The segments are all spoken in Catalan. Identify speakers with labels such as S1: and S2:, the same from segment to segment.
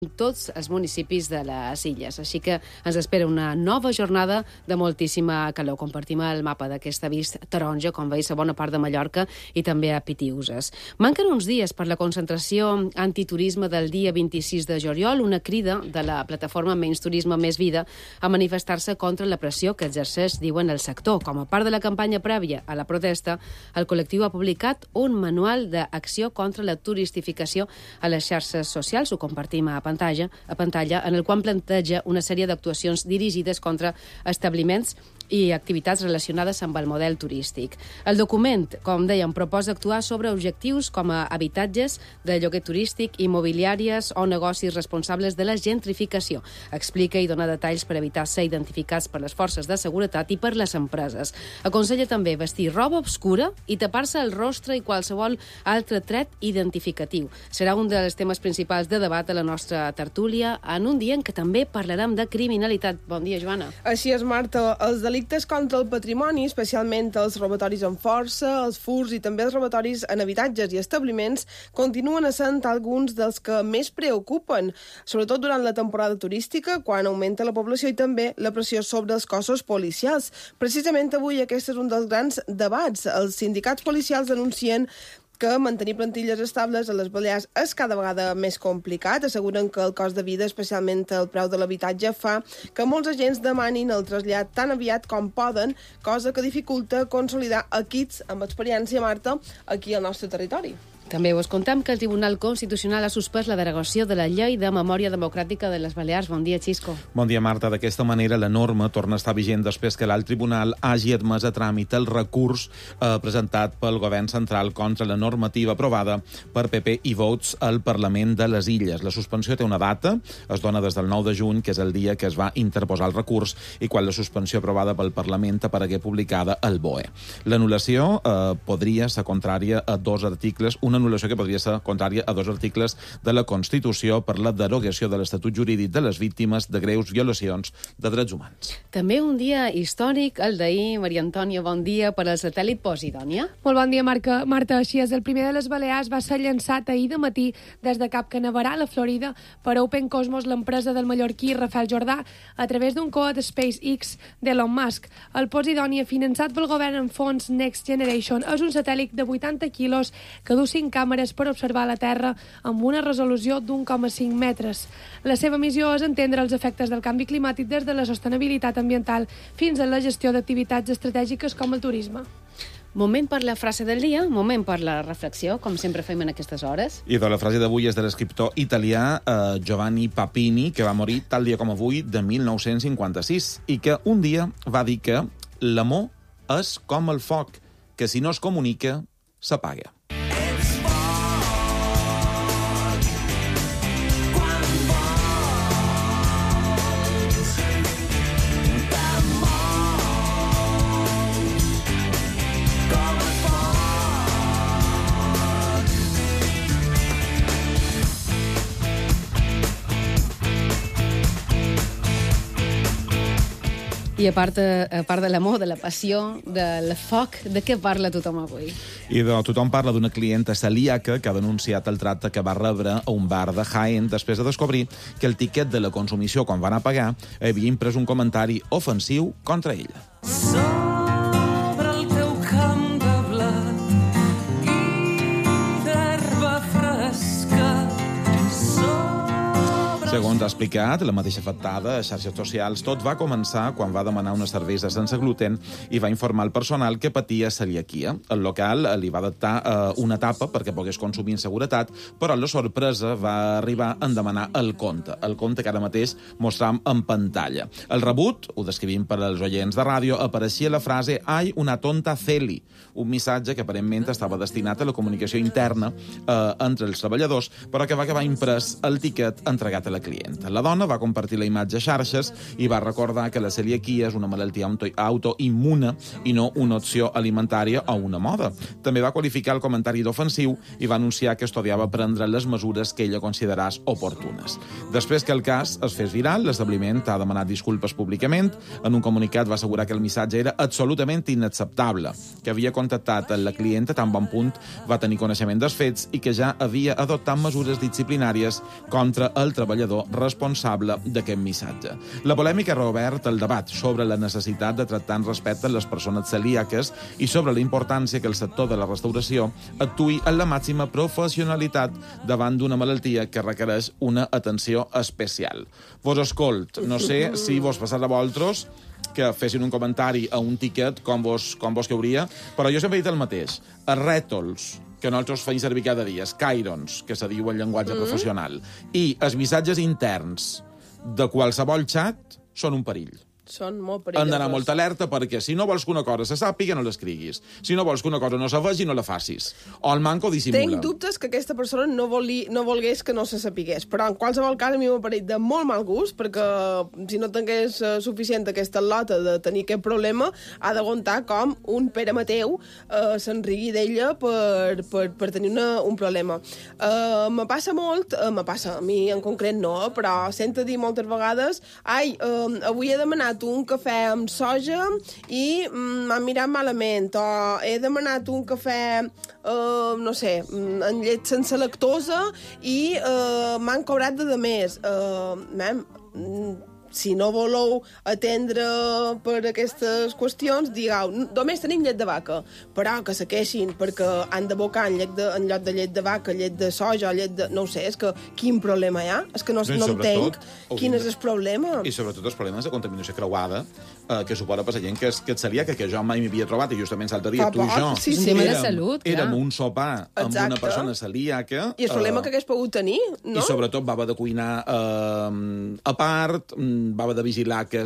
S1: tots els municipis de les illes. Així que ens espera una nova jornada de moltíssima calor. Compartim el mapa d'aquesta vist taronja, com veus, a bona part de Mallorca i també a Pitiüses. Manquen uns dies per la concentració antiturisme del dia 26 de juliol, una crida de la plataforma Menys Turisme, Més Vida a manifestar-se contra la pressió que exerceix, diuen, el sector. Com a part de la campanya prèvia a la protesta, el col·lectiu ha publicat un manual d'acció contra la turistificació a les xarxes socials. Ho compartim a pantalla, en el qual planteja una sèrie d'actuacions dirigides contra establiments i activitats relacionades amb el model turístic. El document, com dèiem, proposa actuar sobre objectius com a habitatges de lloguer turístic, immobiliàries o negocis responsables de la gentrificació. Explica i dona detalls per evitar ser identificats per les forces de seguretat i per les empreses. Aconsella també vestir roba obscura i tapar-se el rostre i qualsevol altre tret identificatiu. Serà un dels temes principals de debat a la nostra tertúlia en un dia en què també parlarem de criminalitat. Bon dia, Joana.
S2: Així és, Marta. Els delictes contra el patrimoni, especialment els robatoris amb força, els furts i també els robatoris en habitatges i establiments, continuen essent alguns dels que més preocupen, sobretot durant la temporada turística, quan augmenta la població i també la pressió sobre els cossos policials. Precisament avui aquest és un dels grans debats. Els sindicats policials denuncien que mantenir plantilles estables a les Balears és cada vegada més complicat. Asseguren que el cost de vida, especialment el preu de l'habitatge, fa que molts agents demanin el trasllat tan aviat com poden, cosa que dificulta consolidar equips amb experiència, Marta, aquí al nostre territori.
S1: També us contem que el Tribunal Constitucional ha suspès la derogació de la Llei de Memòria Democràtica de les Balears. Bon dia, Xisco.
S3: Bon dia, Marta. D'aquesta manera, la norma torna a estar vigent després que l'alt tribunal hagi admès a tràmit el recurs presentat pel govern central contra la normativa aprovada per PP i Vots al Parlament de les Illes. La suspensió té una data, es dona des del 9 de juny, que és el dia que es va interposar el recurs i quan la suspensió aprovada pel Parlament aparegué publicada al BOE. L'anul·lació podria ser contrària a dos articles, una anul·lació que podria ser contrària a dos articles de la Constitució per la derogació de l'Estatut Jurídic de les Víctimes de greus violacions de drets humans.
S1: També un dia històric, el d'ahir. Maria Antònia, bon dia per al satèl·lit Posidònia.
S4: Molt bon dia, Marta. Així és, el primer de les Balears va ser llançat ahir de matí des de Cap Canaveral, a Florida, per Open Cosmos, l'empresa del mallorquí Rafael Jordà, a través d'un coet SpaceX d'Elon Musk. El Posidònia, finançat pel govern en fons Next Generation, és un satèl·lit de 80 quilos que du 5 càmeres per observar la Terra amb una resolució d'1,5 metres. La seva missió és entendre els efectes del canvi climàtic des de la sostenibilitat ambiental fins a la gestió d'activitats estratègiques com el turisme.
S1: Moment per la frase del dia, moment per la reflexió, com sempre fem en aquestes hores.
S3: I la frase d'avui és de l'escriptor italià Giovanni Papini, que va morir tal dia com avui de 1956, i que un dia va dir que l'amor és com el foc, que si no es comunica, s'apaga.
S1: I a part de l'amor, de la passió, del foc, de què parla tothom avui?
S3: I tothom parla d'una clienta celíaca que ha denunciat el tracte que va rebre a un bar de Jaén després de descobrir que el tiquet de la consumició, quan va anar a pagar, havia imprès un comentari ofensiu contra ella.
S5: Sobre el teu camp de blat i d'herba fresca.
S3: Segons ha explicat la mateixa afectada a xarxes socials, tot va començar quan va demanar una cervesa sense gluten i va informar al personal que patia celiaquia. El local li va adaptar una tapa perquè pogués consumir en seguretat, però la sorpresa va arribar en demanar el compte que ara mateix mostram en pantalla. El rebut, ho descrivim per als oients de ràdio, apareixia la frase «Ai, una tonta celi», un missatge que aparentment estava destinat a la comunicació interna entre els treballadors, però que va acabar imprès el tiquet entregat a la clienta. La dona va compartir la imatge a xarxes i va recordar que la celiaquia és una malaltia autoimmune i no una opció alimentària o una moda. També va qualificar el comentari d'ofensiu i va anunciar que estudiava prendre les mesures que ella considerés oportunes. Després que el cas es fes viral, l'establiment ha demanat disculpes públicament. En un comunicat va assegurar que el missatge era absolutament inacceptable, que havia contactat la clienta tan bon punt va tenir coneixement dels fets i que ja havia adoptat mesures disciplinàries contra el treballador creador responsable d'aquest missatge. La polèmica ha reobert el debat sobre la necessitat de tractar amb respecte les persones celíaques i sobre la importància que el sector de la restauració actuï en la màxima professionalitat davant d'una malaltia que requereix una atenció especial. Vos escolt, no sé si vos passarà a vosaltres que fessin un comentari a un tiquet com vos cauria, però jo sempre he dit el mateix. Els rètols que nosaltres feim servir cada dia, els cairons, que se diu en llenguatge professional, i els missatges interns de qualsevol xat són un perill.
S2: Són molt perillosos.
S3: Han d'anar molt alerta perquè si no vols que una cosa se sàpiga, no l'escriguis. Si no vols que una cosa no se vegi, no la facis. O el manco dissimula.
S2: Tenc dubtes que aquesta persona no volgués que no se sapigués, però en qualsevol cas a mi m'ha parit de molt mal gust, perquè si no tingués suficient aquesta lota de tenir aquest problema, ha d'aguantar com un Pere Mateu s'enrigui d'ella per tenir un problema. Me passa molt, a mi en concret no, però sento dir moltes vegades avui he demanat un cafè amb soja i m'han mirat malament, o he demanat un cafè, no sé, amb llet sense lactosa i m'han cobrat de més. Si no voleu atendre per aquestes qüestions, digueu, només tenim llet de vaca, però que se queixin perquè han d'abocar en lloc de llet de vaca, llet de soja, llet de... No ho sé, és que quin problema hi ha? És que no entenc quin és el problema.
S3: I sobretot els problemes de contaminació creuada que suposa per la gent que et celíaca, que jo mai m'havia trobat, i justament l'altre dia tu i jo
S2: sí.
S3: érem un sopar amb una persona celíaca.
S2: I el problema que hagués pogut tenir, no?
S3: I sobretot va haver de cuinar a part, va haver de vigilar que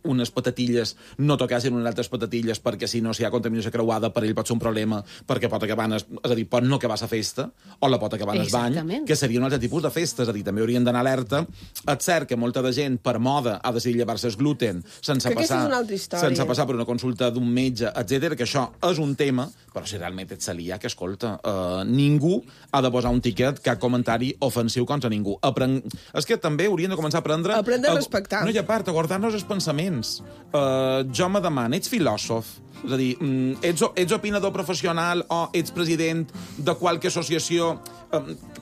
S3: unes patatilles no tocassin unes altres patatilles perquè si no hi ha contaminació creuada per ell pot ser un problema perquè pot acabar, és a dir, pot no acabar la festa o la pot acabar en el bany, que seria un altre tipus de festa, és a dir, també haurien d'anar alerta. És cert que molta de gent per moda ha decidit llevar-se el gluten sense passar per una consulta d'un metge, etc, que això és un tema, però si realment ets celíac, escolta, ningú ha de posar un tiquet, cap comentari ofensiu contra ningú. És que també haurien de començar a aprendre
S2: a respectar.
S3: No, i a part, a guardar-nos els pensaments. Jo me demano, ets filòsof? És a dir, ets opinador professional o ets president de qualque associació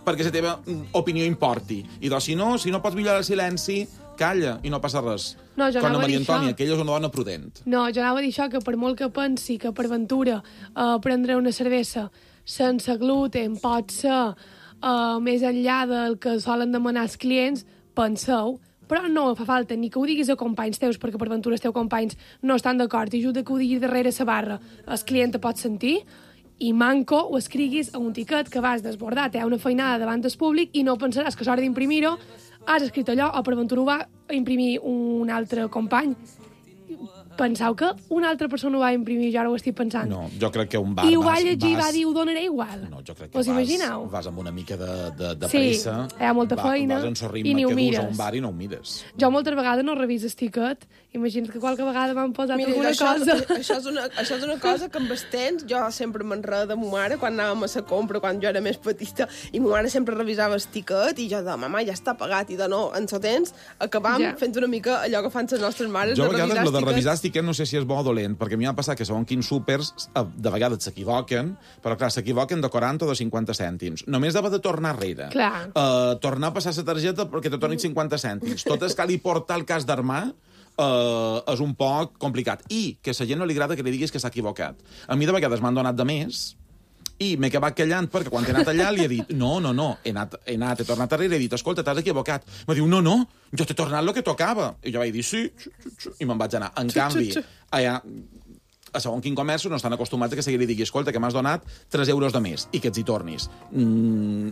S3: perquè la teva opinió importi? I doncs, si no pots millorar el silenci, calla i no passa res.
S4: No, jo
S3: com
S4: anava
S3: a Maria
S4: a dir
S3: Antònia,
S4: això.
S3: que ella és una dona prudent.
S4: No, jo anava a dir això, que per molt que pensi que per ventura prendre una cervesa sense gluten pot ser més enllà del que solen demanar els clients, penseu, però no fa falta ni que ho diguis a companys teus, perquè per ventura els teus companys no estan d'acord, i ajuda que ho diguis darrere la barra. El client te pot sentir, i manco ho escriguis a un tiquet que vas desbordar, té una feinada davant del públic i no pensaràs que a l'hora d'imprimir-ho has escrit allò, o per ventura ho va imprimir un altre company. Penseu que una altra persona ho va imprimir, jo ara ho estic pensant.
S3: No, jo crec que un bar...
S4: I ho va llegir i va dir, ho donaré igual.
S3: No, jo crec que vas amb una mica de pressa.
S4: Sí, hi ha molta feina
S3: i
S4: ni ho
S3: que
S4: mires.
S3: dus a un bar i no ho mires.
S4: Jo moltes vegades no reviso el tiquet. Imagina't que qualque vegada m'han posat alguna cosa.
S2: Això és una cosa que amb el temps jo sempre m'enredo de ma mare quan anàvem a la compra, quan jo era més petita, i ma mare sempre revisava el tiquet i jo de, mama, ja està pagat, i de no, en el temps acabam fent una mica allò que fan les nostres mares,
S3: jo a vegades de revisar tiquet no sé si és bo o dolent, perquè a mi m'ha passat que segons quins súpers de vegades s'equivoquen, però clar, s'equivoquen de 40 o de 50 cèntims. Només d'haver de tornar enrere. Tornar a passar la targeta perquè te tornin 50 cèntims. Tot és que li porta el cas d'armar és un poc complicat. I que a la gent no li agrada que li diguis que s'ha equivocat. A mi de vegades m'han donat de més i m'he acabat callant perquè quan he anat allà li he dit no, he tornat darrere i he dit, escolta, t'has equivocat. Em diu, no, jo t'he tornat el que tocava. I jo vaig dir, sí, i me'n vaig anar. En canvi, allà, a segon quin comerç no estan acostumats a que seguir li digui, escolta, que m'has donat 3 euros de més i que ets hi tornis.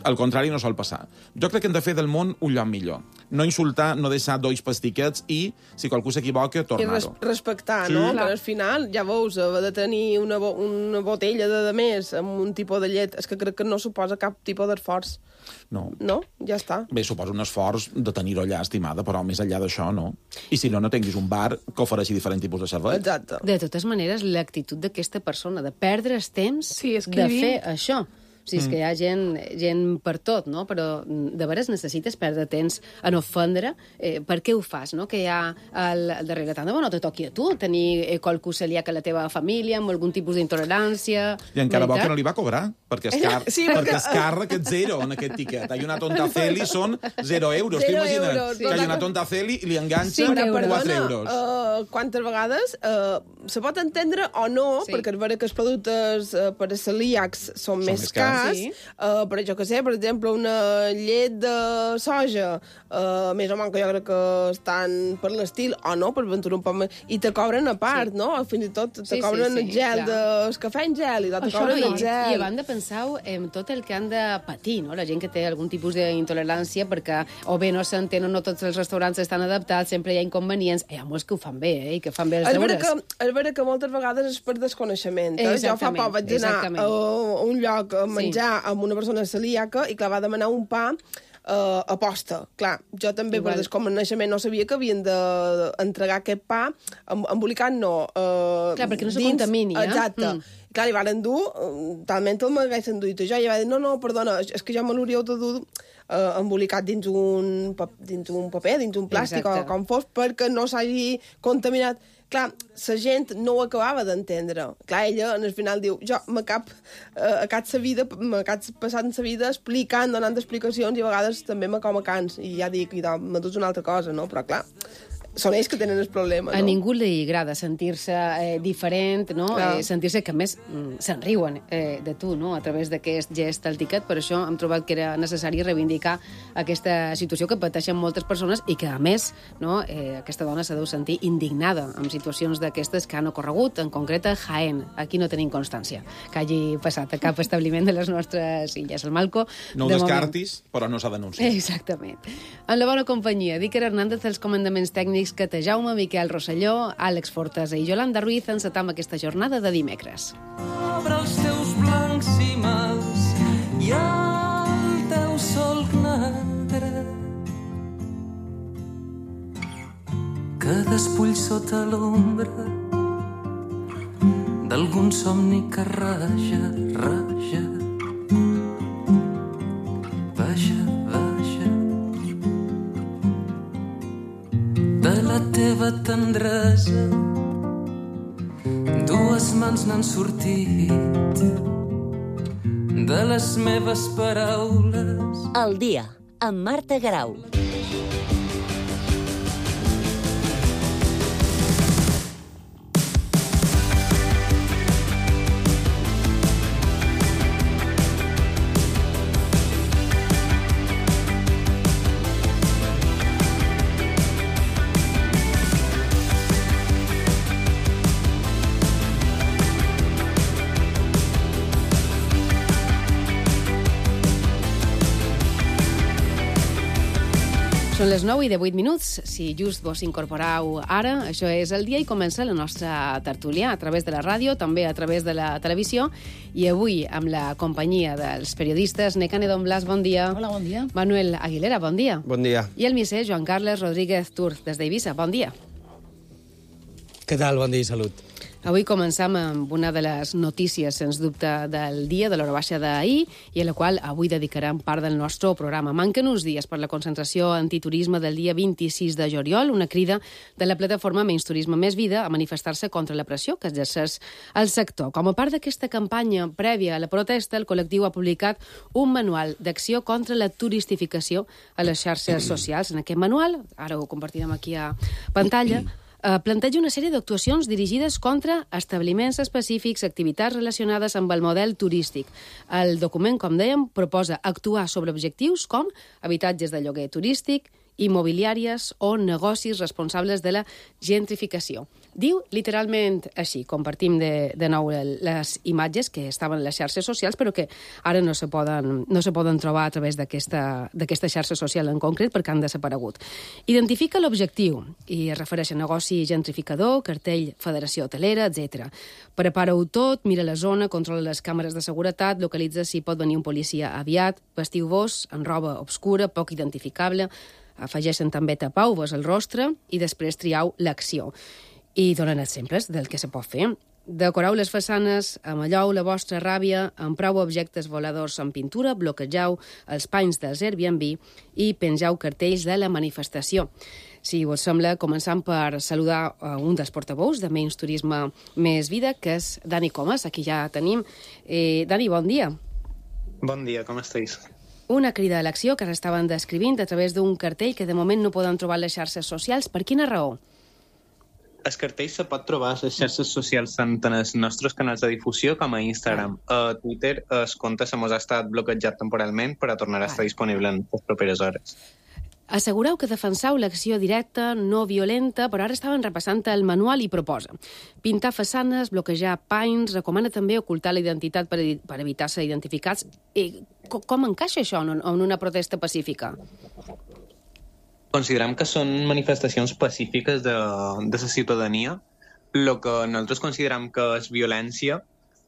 S3: Al contrari, no sol passar. Jo crec que hem de fer del món un lloc millor. No insultar, no deixar dois pastiquets i, si qualcú s'equivoca, tornar-ho.
S2: I respectar, no? Perquè al final, ja veus, haver de tenir una botella de més amb un tipus de llet, és que crec que no suposa cap tipus d'esforç.
S3: No.
S2: No? Ja està.
S3: Bé, suposa un esforç de tenir-ho allà, estimada, però més enllà d'això, no. I si no tinguis un bar que ofereixi diferents tipus de servei.
S2: Exacte.
S1: De totes maneres, l'actitud d'aquesta persona de perdre el temps de fer això. O sigui, és que hi ha gent per tot, no? Però de veres necessites perdre temps en ofendre. Per què ho fas, no? Que hi ha al darrere. Tant de bo no te toqui a tu tenir qualcú celíac a la teva família amb algun tipus d'intolerància.
S3: I encara bo que no li va cobrar, perquè és car aquest zero en aquest tiquet. Hay una tonta Celi són 0 euros. T'ho imagines? Que hi ha una tonta Celi i li enganxa 4 euros.
S2: Quantes vegades se pot entendre o no, perquè és vera que els productes per a celíacs són més cars, però jo que sé, per exemple, una llet de soja, més o menys que jo crec que estan per l'estil, o no, per aventurar un poc més, i te cobren a part, no? Fins i tot te cobren el gel del cafè en gel, i te cobren el gel.
S1: I a banda penseu en tot el que han de patir, no? La gent que té algun tipus d'intolerància, perquè o bé no s'entén o no tots els restaurants estan adaptats, sempre hi ha inconvenients. Hi ha molts que ho fan bé, i que fan bé els deures.
S2: És vera que moltes vegades és per desconeixement. Jo fa poc vaig anar a un lloc a menjar amb una persona celíaca i, clar, va demanar un pa aposta. Clar, jo també per desconeixement no sabia que havien d'entregar aquest pa embolicat, no.
S1: Clar, perquè no se contamini,
S2: Exacte. Clar, li van dur, talment el m'haguessin duit jo, i va dir, no, perdona, és que ja me l'hauríeu de dur embolicat dins un paper, dins un plàstic o com fos, perquè no s'hagi contaminat. Clar, la gent no ho acabava d'entendre. Clar, ella, al final, diu, jo m'acab passant la vida explicant, donant explicacions, i a vegades també me com a cans, i ja dic, me dus una altra cosa, no? Però, clar, són ells que tenen el problema, no?
S1: A ningú li agrada sentir-se diferent, no? Sentir-se que, a més, se'n riuen de tu, no? A través d'aquest gest al tiquet. Per això hem trobat que era necessari reivindicar aquesta situació que pateixen moltes persones i que, a més, no, aquesta dona s'ha de sentir indignada amb situacions d'aquestes que han ocorregut, en concret a Jaén. Aquí no tenim constància que hagi passat a cap establiment de les nostres illes. El Malco...
S3: No ho descartis, però no s'ha denunciat.
S1: Exactament. En la bona companyia, d'Iker Hernández, els comandaments tècnics Cata Jaume, Miquel Rosselló, Àlex Fortesa i Yolanda Ruiz encetam aquesta jornada de dimecres.
S5: Obre els teus blancs cimals i el teu solc negre que despull sota l'ombra d'algun somni que raja, raja. La teva tendresa, dues mans n'han sortit de les meves paraules.
S6: El dia, amb Marta Garau.
S1: Són les 9 i 18 minuts. Si just vos incorporau ara, això és el dia i comença la nostra tertúlia a través de la ràdio, també a través de la televisió, i avui amb la companyia dels periodistes Nekane Don Blas, bon dia.
S7: Hola, bon dia.
S1: Manuel Aguilera, bon dia.
S8: Bon dia.
S1: I el misser Joan Carles Rodríguez Tur, des d'Eivissa, bon dia.
S8: Què tal? Bon dia i salut.
S1: Avui començam amb una de les notícies, sens dubte, del dia de l'hora baixa d'ahir i a la qual avui dedicarem part del nostre programa. Manquen uns dies per la concentració antiturisme del dia 26 de juliol, una crida de la plataforma Menys Turisme Més Vida a manifestar-se contra la pressió que exerceix el sector. Com a part d'aquesta campanya prèvia a la protesta, el col·lectiu ha publicat un manual d'acció contra la turistificació a les xarxes socials. En aquest manual, ara ho compartirem aquí a pantalla, planteja una sèrie d'actuacions dirigides contra establiments específics, activitats relacionades amb el model turístic. El document, com dèiem, proposa actuar sobre objectius com habitatges de lloguer turístic, immobiliàries o negocis responsables de la gentrificació. Diu literalment així, compartim de nou les imatges que estaven a les xarxes socials, però que ara no se poden trobar a través d'aquesta xarxa social en concret perquè han desaparegut. Identifica l'objectiu i es refereix a negoci gentrificador, cartell Federació Hotelera, etc. Prepara-ho tot, mira la zona, controla les càmeres de seguretat, localitza si pot venir un policia aviat, vestiu-vos en roba obscura, poc identificable, afegeixen també tapau-vos el rostre i després triau l'acció. I donen exemples del que se pot fer. Decoreu les façanes, amalleu la vostra ràbia, empreu objectes voladors en pintura, bloquegeu els panys dels Airbnb i pengeu cartells de la manifestació. Si us sembla, començant per saludar un dels portaveus de Menys Turisme Més Vida, que és Dani Comas, aquí ja tenim. Dani, bon dia.
S7: Bon dia, com esteu?
S1: Una crida a l'acció que estaven descrivint a través d'un cartell que de moment no poden trobar a les xarxes socials. Per quina raó?
S7: El cartell se pot trobar a les xarxes socials tant en els nostres canals de difusió com a Instagram. A Twitter el compte se mos ha estat bloquejat temporalment, però tornarà a estar disponible en les properes hores.
S1: Assegureu que defenseu l'acció directa, no violenta, però ara estaven repassant el manual i proposa pintar façanes, bloquejar panys, recomana també ocultar la identitat per evitar ser identificats. Com encaixa això en una protesta pacífica?
S7: Considerem que són manifestacions pacífiques de la ciutadania. El que nosaltres considerem que és violència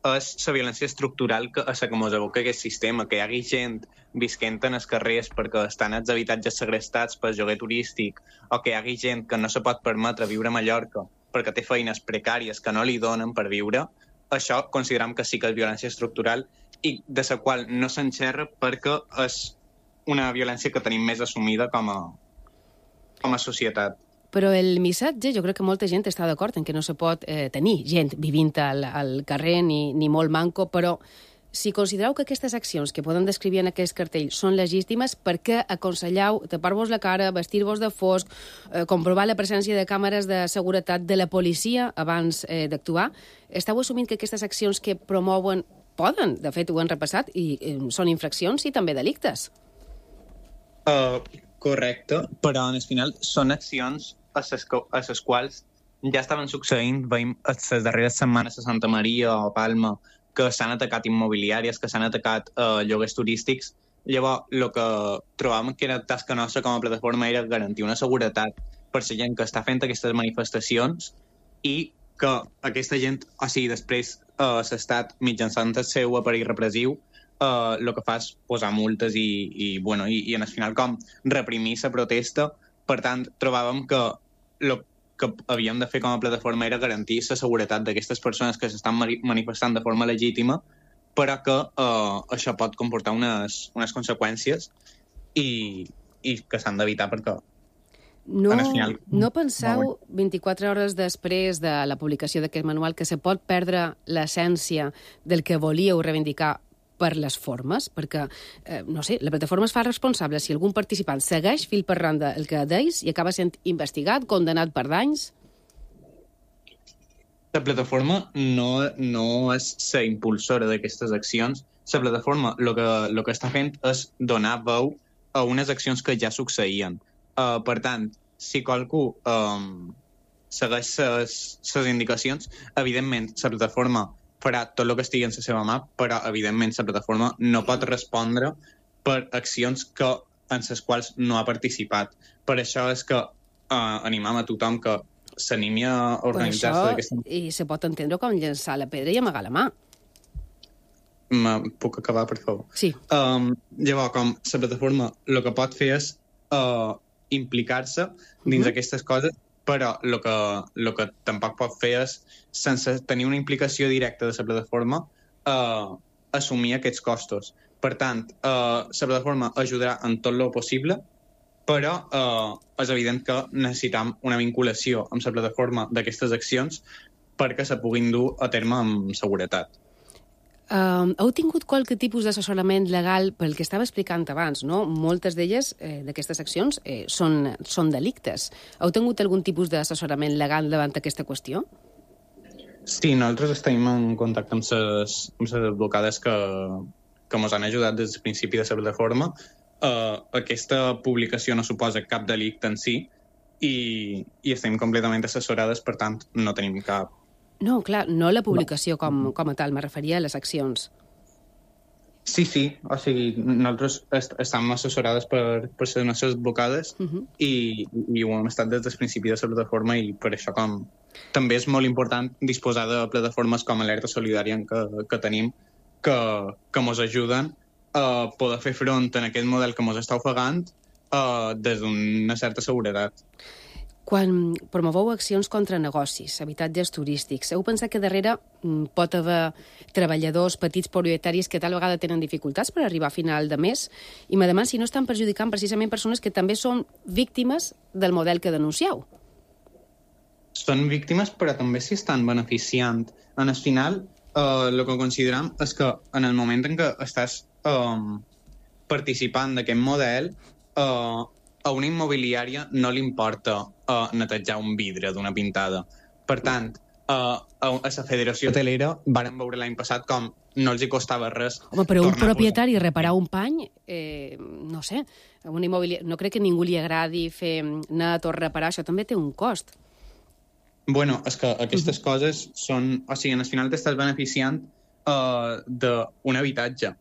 S7: és la violència estructural a la que ens evoca aquest sistema, que hi hagi gent visquent en els carrers perquè estan els habitatges segrestats pel lloguer turístic, o que hi hagi gent que no se pot permetre viure a Mallorca perquè té feines precàries que no li donen per viure. Això considerem que sí que és violència estructural i de la qual no s'enxerra perquè és una violència que tenim més assumida com a societat.
S1: Però el missatge, jo crec que molta gent està d'acord en que no se pot tenir gent vivint al carrer ni molt manco, però si considereu que aquestes accions que poden descriure en aquest cartell són legítimes, per què aconselleu tapar-vos la cara, vestir-vos de fosc, comprovar la presència de càmeres de seguretat de la policia abans d'actuar? Esteu assumint que aquestes accions que promouen poden, de fet ho han repassat, i són infraccions i també delictes?
S7: Correcte, però al final són accions a les quals ja estaven succeint, veiem les darreres setmanes a Santa Maria o Palma, que s'han atacat immobiliàries, que s'han atacat lloguers turístics. Llavors, el que trobàvem que era tasca nostra com a plataforma era garantir una seguretat per la gent que està fent aquestes manifestacions i que aquesta gent, o sigui, després l'Estat, mitjançant el seu aparell repressiu, el que fa és posar multes i en el final com reprimir la protesta. Per tant, trobàvem que el que havíem de fer com a plataforma era garantir la seguretat d'aquestes persones que s'estan manifestant de forma legítima, però que això pot comportar unes conseqüències i que s'han d'evitar perquè
S1: no penseu 24 hores després de la publicació d'aquest manual que se pot perdre l'essència del que volíeu reivindicar per les formes? Perquè, no sé, la plataforma es fa responsable si algun participant segueix fil per randa el que deis i acaba sent investigat, condenat per danys?
S7: La plataforma no és la impulsora d'aquestes accions. La plataforma el que està fent és donar veu a unes accions que ja succeïen. Per tant, si qualcú segueix les indicacions, evidentment la plataforma farà tot el que estigui en la seva mà, però evidentment la plataforma no pot respondre per accions en les quals no ha participat. Per això és que animam a tothom que s'animi a organitzar-se d'aquesta...
S1: I se pot entendre com llançar la pedra i amagar la mà.
S7: Puc acabar, per favor?
S1: Sí.
S7: Llavors, com la plataforma el que pot fer és implicar-se dins aquestes coses, però el que tampoc pot fer és, sense tenir una implicació directa de la plataforma, assumir aquests costos. Per tant, la plataforma ajudarà en tot el possible, però és evident que necessitem una vinculació amb la plataforma d'aquestes accions perquè se puguin dur a terme amb seguretat.
S1: Heu tingut qualque tipus d'assessorament legal pel que estava explicant abans, no? Moltes d'elles, d'aquestes accions, són delictes. Heu tingut algun tipus d'assessorament legal davant aquesta qüestió?
S7: Sí, nosaltres estem en contacte amb les advocades que ens han ajudat des del principi de la plataforma. Aquesta publicació no suposa cap delicte en si i estem completament assessorades, per tant, no tenim cap...
S1: No, clar, no la publicació com a tal, me referia a les accions.
S7: Sí, o sigui, nosaltres estem assessorades per les nostres advocades i ho hem estat des del principi de la plataforma i per això també és molt important disposar de plataformes com Alerta Solidària que tenim que ens ajuden a poder fer front en aquest model que ens està ofegant des d'una certa seguretat.
S1: Quan promoveu accions contra negocis, habitatges turístics, heu pensat que darrere pot haver treballadors, petits propietaris que tal vegada tenen dificultats per arribar a final de mes i m'ademà si no estan perjudicant precisament persones que també són víctimes del model que denuncieu?
S7: Són víctimes però també s'hi estan beneficiant. En el final, el que considerem és que en el moment en què estàs participant d'aquest model, a una immobiliària no li importa netejar un vidre d'una pintada. Per tant, a la Federació Hotelera vàrem veure l'any passat com no els hi costava res.
S1: Home, però un propietari reparar un pany, no sé, una immobiliària, no crec que ningú li agradi fer net o reparar, això també té un cost.
S7: Bueno, és que aquestes coses són... O sigui, al final t'estàs beneficiant d'un habitatge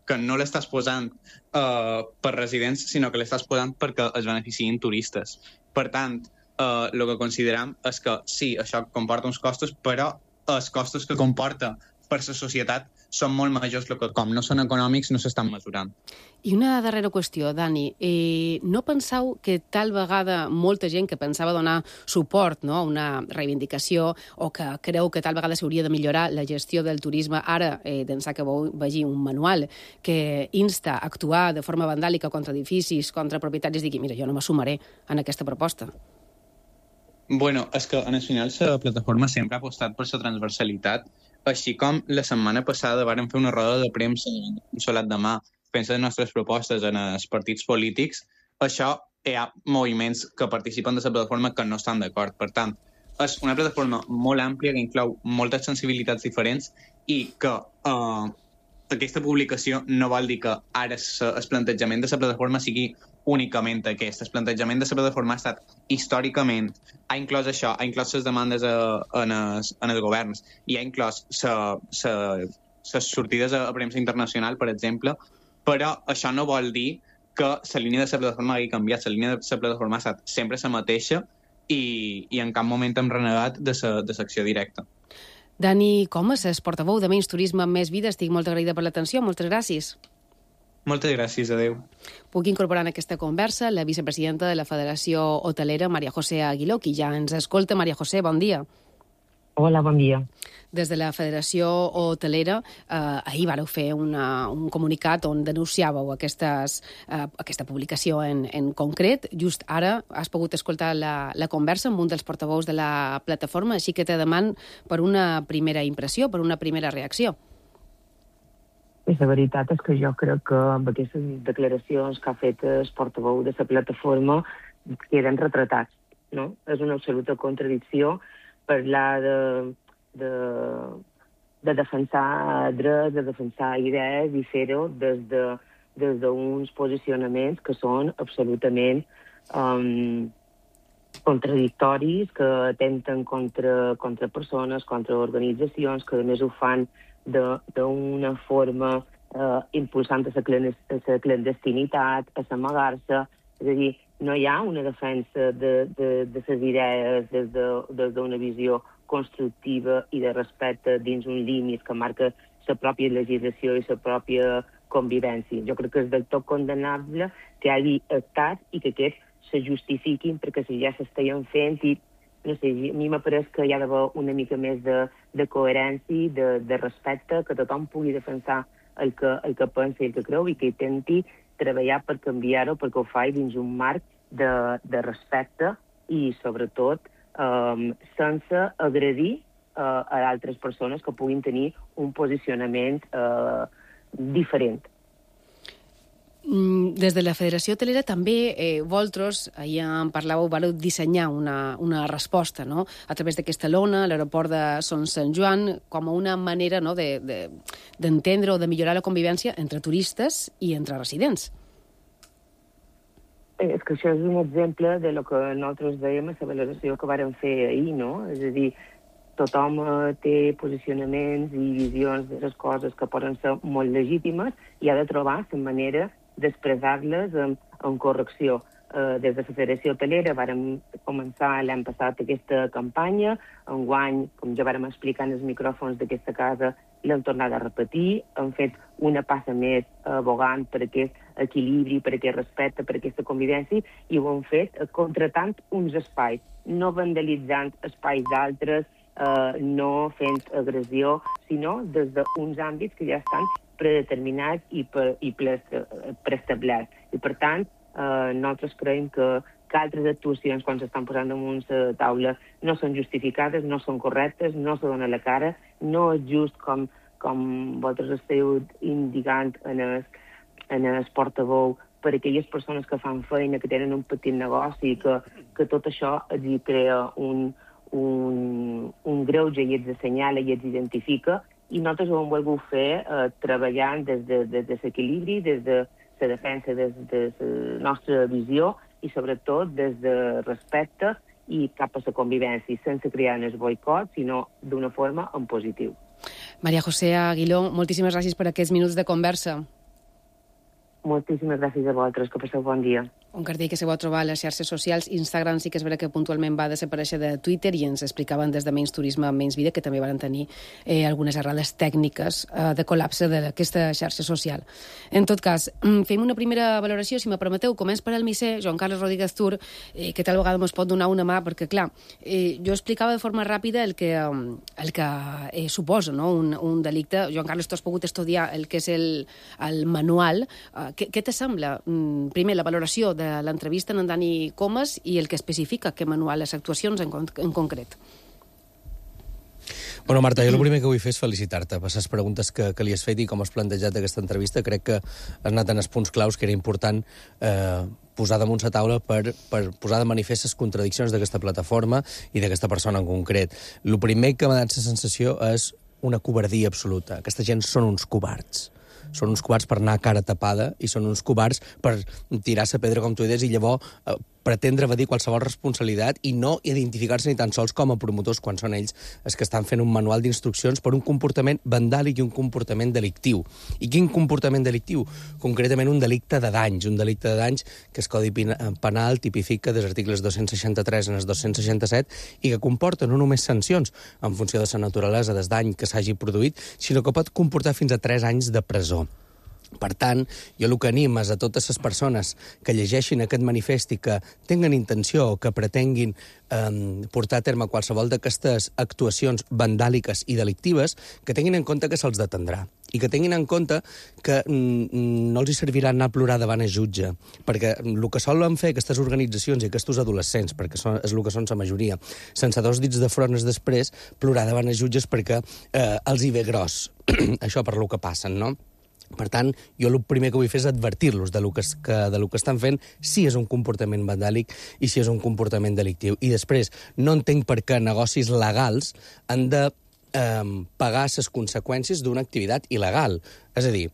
S7: que no l'estàs posant per residents, sinó que l'estàs posant perquè es beneficien turistes. Per tant, el que considerem és que sí, això comporta uns costos, però els costos que comporta per la societat són molt majors, que com no són econòmics no s'estan mesurant.
S1: I una darrera qüestió, Dani. No penseu que tal vegada molta gent que pensava donar suport, no, a una reivindicació o que creu que tal vegada s'hauria de millorar la gestió del turisme, ara d'ençà que vegi un manual que insta a actuar de forma vandàlica contra edificis, contra propietaris, digui, mira, jo no m'assumaré en aquesta proposta?
S7: Bueno, és que en el final la plataforma sempre ha apostat per la transversalitat, així com la setmana passada vàrem fer una roda de premsa un solat de mà fent les nostres propostes en els partits polítics. Això hi ha moviments que participen de la plataforma que no estan d'acord. Per tant, és una plataforma molt àmplia que inclou moltes sensibilitats diferents i que aquesta publicació no vol dir que ara el plantejament de la plataforma sigui únicament aquest. El plantejament de la plataforma ha estat històricament, ha inclòs això, ha inclòs les demandes en els governs i ha inclòs les sortides a premsa internacional, per exemple, però això no vol dir que la línia de la plataforma hagi canviat. La línia de la plataforma ha estat sempre la mateixa i en cap moment hem renegat de l'acció directa.
S1: Dani Comas, és portaveu de Menys Turisme, Més Vida. Estic molt agraïda per l'atenció. Moltes gràcies.
S7: Moltes gràcies, adeu.
S1: Puc incorporar en aquesta conversa la vicepresidenta de la Federació Hotelera, Maria José Aguiló, qui ja ens escolta. Maria José, bon dia.
S9: Hola, bon dia.
S1: Des de la Federació Hotelera, ahir vareu fer un comunicat on denunciàveu aquesta publicació en concret. Just ara has pogut escoltar la conversa amb un dels portaveus de la plataforma, així que te deman per una primera impressió, per una primera reacció.
S9: La veritat és que jo crec que amb aquestes declaracions que ha fet el portaveu de la plataforma queden retratats, no? És una absoluta contradicció parlar de defensar drets, de defensar idees i fer-ho des d'uns posicionaments que són absolutament contradictoris, que atempten contra persones, contra organitzacions, que a més ho fan d'una forma impulsant la clandestinitat, a s'amagar-se. És a dir, no hi ha una defensa de les idees des d'una visió constructiva i de respecte dins un límit que marca la pròpia legislació i la pròpia convivència. Jo crec que és del tot condemnable que hi hagi estat i que aquests se justifiquin perquè si ja s'estaven fent i no sé, a mi m'apareix que hi ha d'haver una mica més de coherència, de respecte, que tothom pugui defensar el que pensa i el que creu i que intenti treballar per canviar-ho perquè ho faci dins un marc de respecte i, sobretot, sense agredir a altres persones que puguin tenir un posicionament diferent.
S1: Des de la Federació Hotelera també vosaltres, ahir en parlàveu, vareu dissenyar una resposta, no?, a través d'aquesta lona, a l'aeroport de Son Sant Joan, com a una manera, no?, d'entendre o de millorar la convivència entre turistes i entre residents.
S9: És que això és un exemple de lo que nosaltres dèiem a la valoració que vàrem fer ahir, no? És a dir, tothom té posicionaments i visions de les coses que poden ser molt legítimes i ha de trobar la manera d'expressar-les en correcció. Des de la Federació Hotelera vàrem començar l'any passat aquesta campanya. Enguany, com ja vàrem explicar en els micròfons d'aquesta casa, l'hem tornat a repetir. Hem fet una passa més abogant per aquest equilibri, per aquest respecte, per aquesta convivència, i ho hem fet contratant uns espais, no vandalitzant espais d'altres, no fent agressió, sinó des d'uns àmbits que ja estan predeterminats i preestablerts. I, per tant, nosaltres creiem que altres actuacions, quan s'estan posant damunt la taula, no són justificades, no són correctes, no se dona la cara, no és just com com vosaltres esteu indicant en el portaveu, per a aquelles persones que fan feina, que tenen un petit negoci, que tot això els crea un greuge i els assenyala i els identifica, i nosaltres ho hem volgut fer treballant des de l'equilibri, des de la defensa, des de la nostra visió i sobretot des de respecte i cap a la convivència, sense crear el boicot, sinó d'una forma en positiu.
S1: Maria José Aguiló, moltíssimes gràcies per aquests minuts de conversa.
S9: Moltíssimes gràcies a vosaltres, que passeu bon dia.
S1: Un cartell que se va trobar a les xarxes socials. Instagram sí que és vera que puntualment va desaparèixer de Twitter i ens explicaven des de Menys Turisme, Menys Vida, que també van tenir algunes errades tècniques de col·lapse d'aquesta xarxa social. En tot cas, fem una primera valoració, si me permeteu. Començ per al misser, Joan Carles Rodríguez Tur, que tal vegada ens pot donar una mà, perquè, clar, jo explicava de forma ràpida el que suposa, no?, un delicte. Joan Carles, tu has pogut estudiar el que és el manual. Què te sembla? Primer, la valoració de l'entrevista en Dani Comas i el que especifica què manual les actuacions en concret.
S8: Bueno, Marta, jo el primer que vull fer és felicitar-te per les preguntes que li has fet i com has plantejat aquesta entrevista. Crec que has anat en els punts claus que era important posar damunt la taula per posar de manifest les contradiccions d'aquesta plataforma i d'aquesta persona en concret. El primer que m'ha dat la sensació és una covardia absoluta. Aquesta gent són uns covards. Són uns covards per anar a cara tapada i són uns covards per tirar la pedra, com tu deies, i llavors pretendre evadir qualsevol responsabilitat i no identificar-se ni tan sols com a promotors quan són ells els que estan fent un manual d'instruccions per un comportament vandàlic i un comportament delictiu. I quin comportament delictiu? Concretament un delicte de danys que el Codi Penal tipifica des articles 263 en els 267 i que comporta no només sancions en funció de la naturalesa del dany que s'hagi produït, sinó que pot comportar fins a 3 anys de presó. Per tant, jo el que animo és a totes les persones que llegeixin aquest manifest i que tinguen intenció o que pretenguin portar a terme qualsevol d'aquestes actuacions vandàliques i delictives, que tinguin en compte que se'ls detendrà i que tinguin en compte que no els servirà anar a plorar davant el jutge, perquè el que solen fer aquestes organitzacions i aquests adolescents, perquè és el que són la majoria, sense 2 dits de front després, plorar davant els jutges perquè els hi ve gros això per lo que passen, no? Per tant, jo el primer que vull fer és advertir-los de lo que estan fent, si és un comportament vandàlic i si és un comportament delictiu. I després, no entenc per què negocis legals han de pagar les conseqüències d'una activitat il·legal. És a dir,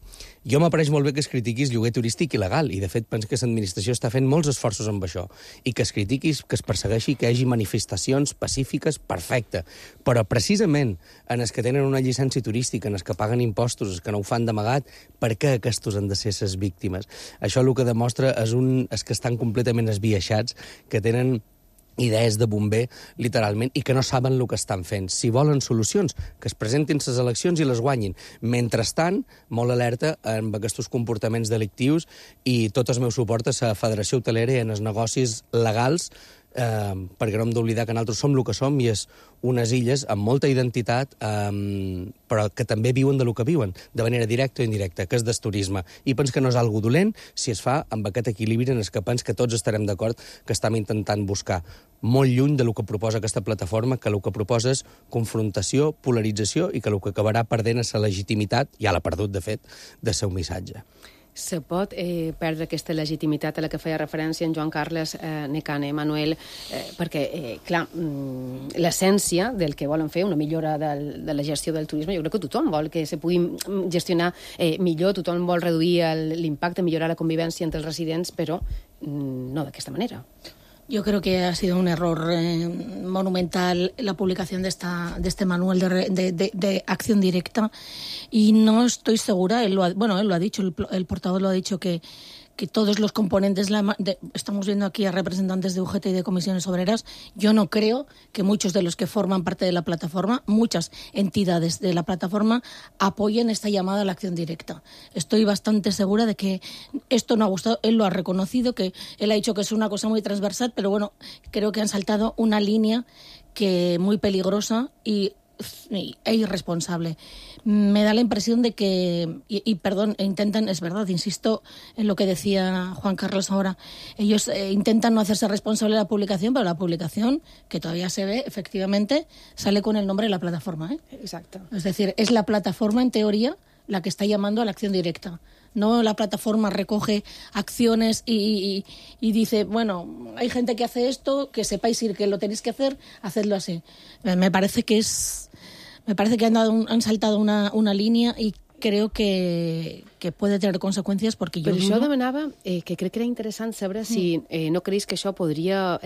S8: jo m'apareix molt bé que es critiquis lloguer turístic il·legal, i de fet penso que l'administració està fent molts esforços amb això, i que es critiquis, que es persegueixi, que hi hagi manifestacions pacífiques, perfecte. Però precisament en els que tenen una llicència turística, en els que paguen impostos, els que no ho fan d'amagat, per què aquests han de ser les víctimes? Això el que demostra és que estan completament esbiaixats, que tenen idees de bomber, literalment, i que no saben el que estan fent. Si volen solucions, que es presentin les eleccions i les guanyin. Mentrestant, molt alerta amb aquests comportaments delictius i tot el meu suport a la Federació Hotelera i en els negocis legals, perquè no hem d'oblidar que nosaltres som el que som i és unes illes amb molta identitat, però que també viuen de lo que viuen, de manera directa o indirecta, que és del turisme. I penso que no és algo dolent si es fa amb aquest equilibri en el que penso que tots estarem d'acord que estem intentant buscar. Molt lluny de lo que proposa aquesta plataforma, que el que proposa és confrontació, polarització i que el que acabarà perdent és la legitimitat, ja l'ha perdut, de fet, del seu missatge.
S1: Se pot perdre aquesta legitimitat a la que feia referència en Joan Carles Necane, Manuel, perquè, clar, l'essència del que volen fer, una millora de la gestió del turisme, jo crec que tothom vol que se pugui gestionar millor, tothom vol reduir l'impacte, millorar la convivència entre els residents, però no d'aquesta manera.
S10: Yo creo que ha sido un error monumental la publicación de este manual de acción directa y no estoy segura, él lo ha dicho, el portavoz lo ha dicho que todos los componentes, estamos viendo aquí a representantes de UGT y de comisiones obreras, yo no creo que muchos de los que forman parte de la plataforma, muchas entidades de la plataforma, apoyen esta llamada a la acción directa. Estoy bastante segura de que esto no ha gustado, él lo ha reconocido, que él ha dicho que es una cosa muy transversal, pero bueno, creo que han saltado una línea que muy peligrosa y e irresponsable. Me da la impresión de que, perdón, intentan, es verdad, insisto en lo que decía Juan Carlos ahora, ellos intentan no hacerse responsable de la publicación, pero la publicación, que todavía se ve, efectivamente, sale con el nombre de la plataforma.
S2: Exacto.
S10: Es decir, es la plataforma, en teoría, la que está llamando a la acción directa. No la plataforma recoge acciones y dice, bueno, hay gente que hace esto, que sepáis que lo tenéis que hacer, hacedlo así. Me parece que han saltado una línia i crec que puede tener conseqüències perquè jo...
S1: Per això demanava, que crec que era interessant saber si no creus que això podria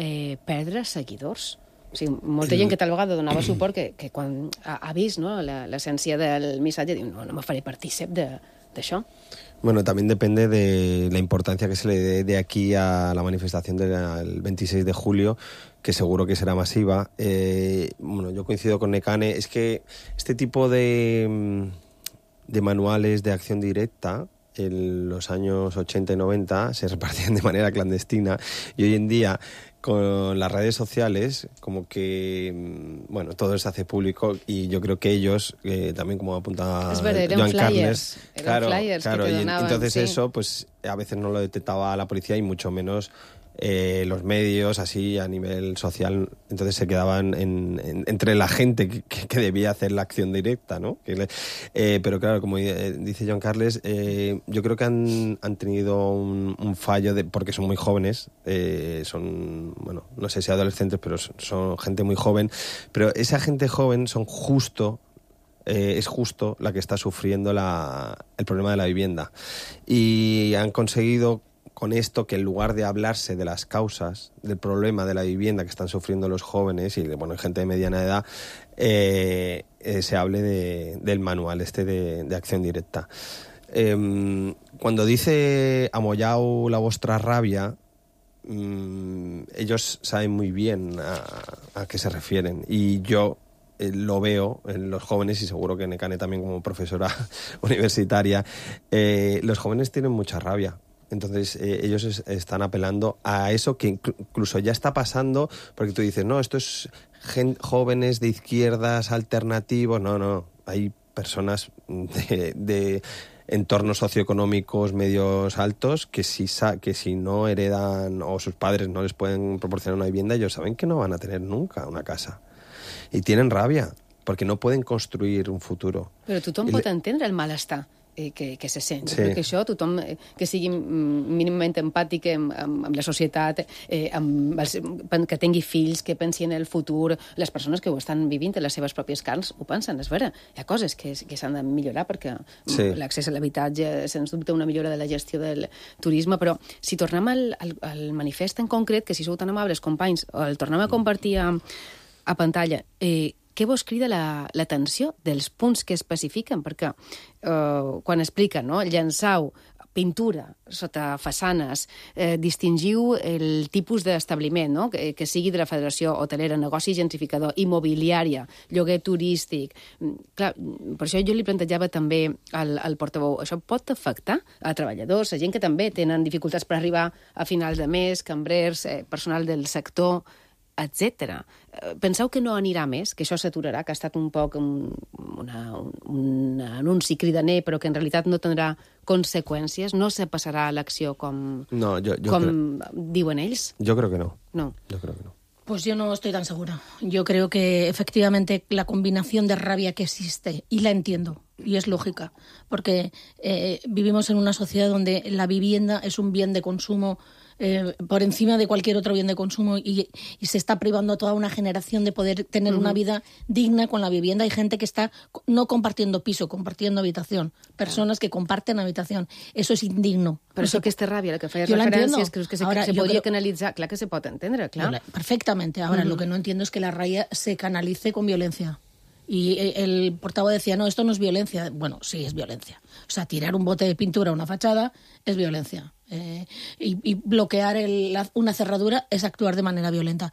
S1: perdre seguidors. O sigui, molta gent que tal vegada donava suport que quan ha vist l'essència del missatge diu, no me faré partícip d'això.
S11: Bueno, también depende de la importancia que se le dé de aquí a la manifestación del 26 de julio, que seguro que será masiva. Bueno, yo coincido con Nekane. Es que este tipo de manuales de acción directa en los años 80 y 90 se repartían de manera clandestina y hoy en día con las redes sociales como que bueno, todo se hace público y yo creo que ellos también, como apuntaba Joan Carles, claro,
S1: flyers que te donaban,
S11: entonces
S1: sí.
S11: eso pues a veces no lo detectaba la policía y mucho menos los medios así a nivel social, entonces se quedaban entre la gente que debía hacer la acción directa, ¿no? Pero claro, como dice Joan Carles, yo creo que han tenido un fallo porque son muy jóvenes, son, bueno, no sé si adolescentes, pero son gente muy joven, pero esa gente joven es justo la que está sufriendo el problema de la vivienda y han conseguido con esto que en lugar de hablarse de las causas del problema de la vivienda que están sufriendo los jóvenes y bueno, gente de mediana edad, se hable del manual de acción directa. Cuando dice amollao la vostra rabia, ellos saben muy bien a qué se refieren y yo lo veo en los jóvenes y seguro que Nekane también como profesora universitaria, los jóvenes tienen mucha rabia. Entonces ellos están apelando a eso que incluso ya está pasando, porque tú dices, no, esto es jóvenes de izquierdas, alternativos. No, hay personas de entornos socioeconómicos medios altos que si no heredan o sus padres no les pueden proporcionar una vivienda, ellos saben que no van a tener nunca una casa. Y tienen rabia, porque no pueden construir un futuro.
S1: Però tothom pot entendre el malestar que se sent. Sí. Perquè això, tothom que sigui mínimament empàtic amb la societat, que tingui fills, que pensi en el futur, les persones que ho estan vivint en les seves pròpies carns ho pensen, és vera. Hi ha coses que s'han de millorar perquè l'accés a l'habitatge, sens dubte, una millora de la gestió del turisme, però si tornem al manifest en concret, que si sou tan amables, companys, el tornem a compartir a pantalla, què vos crida l'atenció dels punts que especifiquen? Perquè quan expliquen, no? Llançau pintura sota façanes, distingiu el tipus d'establiment, no? Que sigui de la Federació Hotelera, negoci gentrificador, immobiliària, lloguer turístic. Clar, per això jo li plantejava també al portaveu, això pot afectar a treballadors, a gent que també tenen dificultats per arribar a final de mes, cambrers, personal del sector, etc. Penseu que no anirà més, que això s'aturarà, que ha estat un poc un anunci cridaner, però que en realitat no tindrà conseqüències? No se passarà a l'acció com diuen ells?
S11: Yo creo que no.
S1: No.
S11: Yo creo que no.
S10: Pues yo no estoy tan segura. Yo creo que efectivamente la combinación de rabia que existe, y la entiendo, y es lógica, porque vivimos en una sociedad donde la vivienda es un bien de consumo por encima de cualquier otro bien de consumo y se está privando a toda una generación de poder tener una vida digna con la vivienda. Hay gente que está no compartiendo piso, compartiendo habitación. Personas que comparten habitación. Eso es indigno.
S1: Però això, aquesta ràbia a la que feies referències, creus que se podria canalitzar? Clar que se pot entendre, clar.
S10: Perfectamente. Ahora, lo que no entiendo es que la rabia se canalice con violencia. Y el portavoz decía, no, esto no es violencia. Bueno, sí, es violencia. O sea, tirar un bote de pintura a una fachada es violencia. Y bloquear una cerradura es actuar de manera violenta.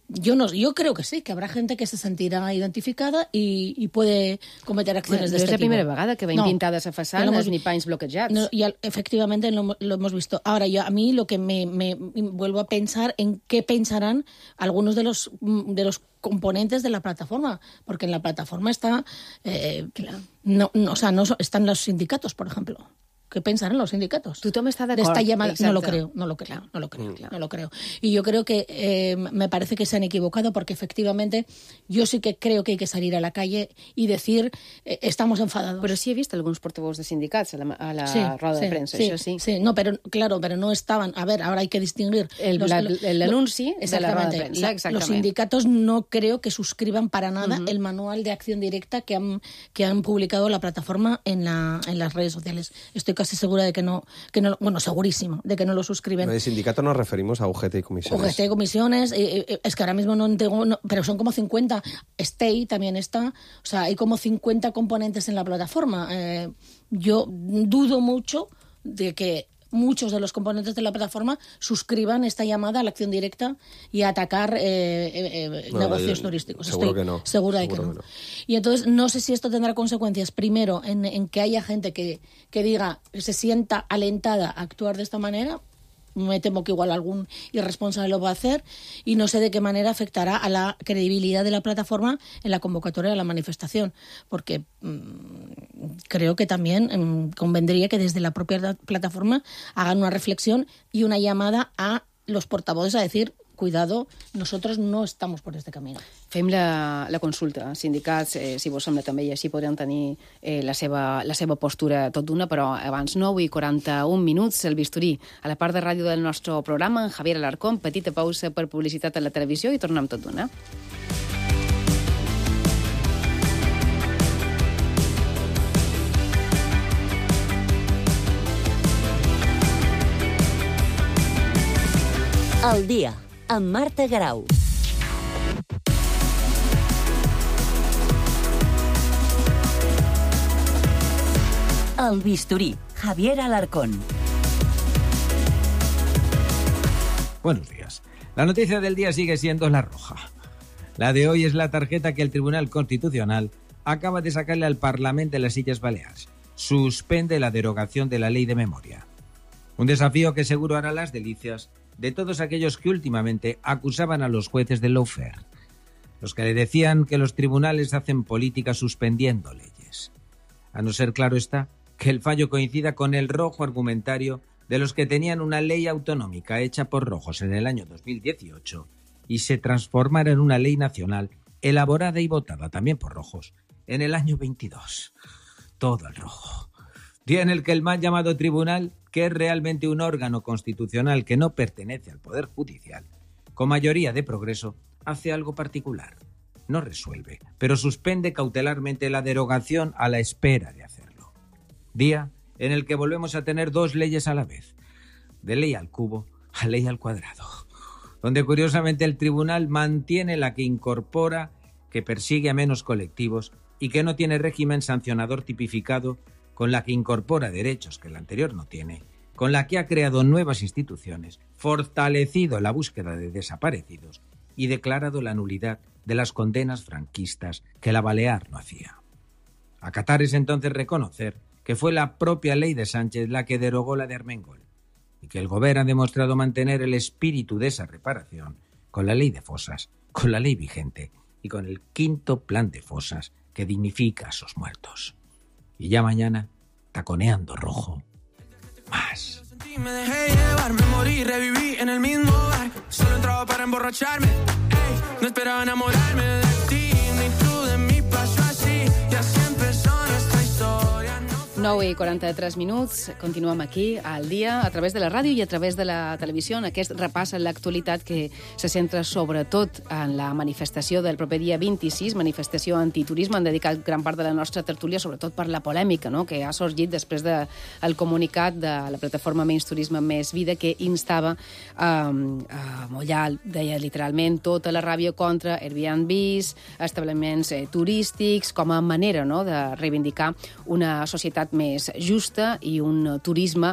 S10: Yo creo que sí, que habrá gente que se sentirá identificada y puede cometer acciones de este tipo.
S1: No es la primera vegada que veiem pintades a façanes ni panys bloquejats.
S10: No, efectivamente lo hemos visto. Ahora, a mí lo que me vuelvo a pensar en qué pensarán algunos de los componentes de la plataforma, porque en la plataforma está... no están los sindicatos, por ejemplo. ¿Qué pensarán los sindicatos?
S1: Tothom està d'acord.
S10: De esta llamada.
S1: Exacte.
S10: No lo creo. Y yo creo que me parece que se han equivocado porque efectivamente yo sí que creo que hay que salir a la calle y decir estamos enfadados.
S1: Però sí he vist alguns portavoz de sindicats a la roda de premsa, això sí.
S10: Sí, no, pero no estaban... A ver, ahora hay que distinguir...
S1: El anunci de la roda de premsa, exactament.
S10: Los sindicatos no creo que suscriban para nada el manual de acción directa que han publicado la plataforma en las redes sociales. Estoy casi segura de que no, bueno, segurísima, de que no lo suscriben.
S11: De sindicato nos referimos a UGT y comisiones.
S10: UGT y comisiones, es que ahora mismo no tengo, pero son como 50. STEI también está, o sea, hay como 50 componentes en la plataforma. Yo dudo mucho de que muchos de los componentes de la plataforma suscriban esta llamada a la acción directa y a atacar negocios turísticos.
S11: Seguro que no.
S10: Segura de que no. Y entonces no sé si esto tendrá consecuencias, primero, en que haya gente que diga, se sienta alentada a actuar de esta manera. Me temo que igual algún irresponsable lo va a hacer y no sé de qué manera afectará a la credibilidad de la plataforma en la convocatoria de la manifestación, porque creo que también convendría que desde la propia plataforma hagan una reflexión y una llamada a los portavoces a decir, cuidado, nosotros no estamos por este camino.
S1: Fem la consulta. Sindicats, si vos sembla també, i així podran tenir la seva postura tot d'una, però abans 9:41, el bisturí. A la part de ràdio del nostre programa, en Javier Alarcón, petita pausa per publicitat a la televisió i tornem tot d'una.
S6: Al dia, amb Marta Grau. El bisturí, Javier Alarcón.
S12: Buenos días. La noticia del día sigue siendo la roja. La de hoy es la tarjeta que el Tribunal Constitucional acaba de sacarle al Parlamento de las Illes Baleares. Suspende la derogación de la ley de memoria. Un desafío que seguro hará las delicias de todos aquellos que últimamente acusaban a los jueces del lawfare, los que le decían que los tribunales hacen política suspendiendo leyes. A no ser, claro está, que el fallo coincida con el rojo argumentario de los que tenían una ley autonómica hecha por rojos en el año 2018 y se transformara en una ley nacional elaborada y votada también por rojos en el año 22. Todo el rojo. Día en el que el mal llamado tribunal, que es realmente un órgano constitucional que no pertenece al Poder Judicial, con mayoría de progreso, hace algo particular. No resuelve, pero suspende cautelarmente la derogación a la espera de hacerlo. Día en el que volvemos a tener dos leyes a la vez, de ley al cubo a ley al cuadrado, donde curiosamente el tribunal mantiene la que incorpora, que persigue a menos colectivos y que no tiene régimen sancionador tipificado, con la que incorpora derechos que el anterior no tiene, con la que ha creado nuevas instituciones, fortalecido la búsqueda de desaparecidos y declarado la nulidad de las condenas franquistas que la Balear no hacía. Acatar es entonces reconocer que fue la propia ley de Sánchez la que derogó la de Armengol y que el Gobierno ha demostrado mantener el espíritu de esa reparación con la ley de fosas, con la ley vigente y con el quinto plan de fosas que dignifica a sus muertos. Y ya mañana, taconeando rojo, más.
S13: Me dejé llevar, me morí, reviví en el mismo bar. Solo entraba para emborracharme. Ey, no esperaba enamorarme de ti, ni tú de mí pasó así. Y así empezó nuestra historia.
S1: 9:43, continuem aquí al dia, a través de la ràdio i a través de la televisió, en aquest repàs a l'actualitat que se centra sobretot en la manifestació del proper dia 26, manifestació antiturisme. Han dedicat gran part de la nostra tertúlia sobretot per la polèmica, no?, que ha sorgit després del comunicat de la plataforma Menys Turisme Més Vida, que instava a mullar, deia literalment, tota la ràbia contra Airbnbs, establiments turístics, com a manera, no?, de reivindicar una societat més justa i un turisme,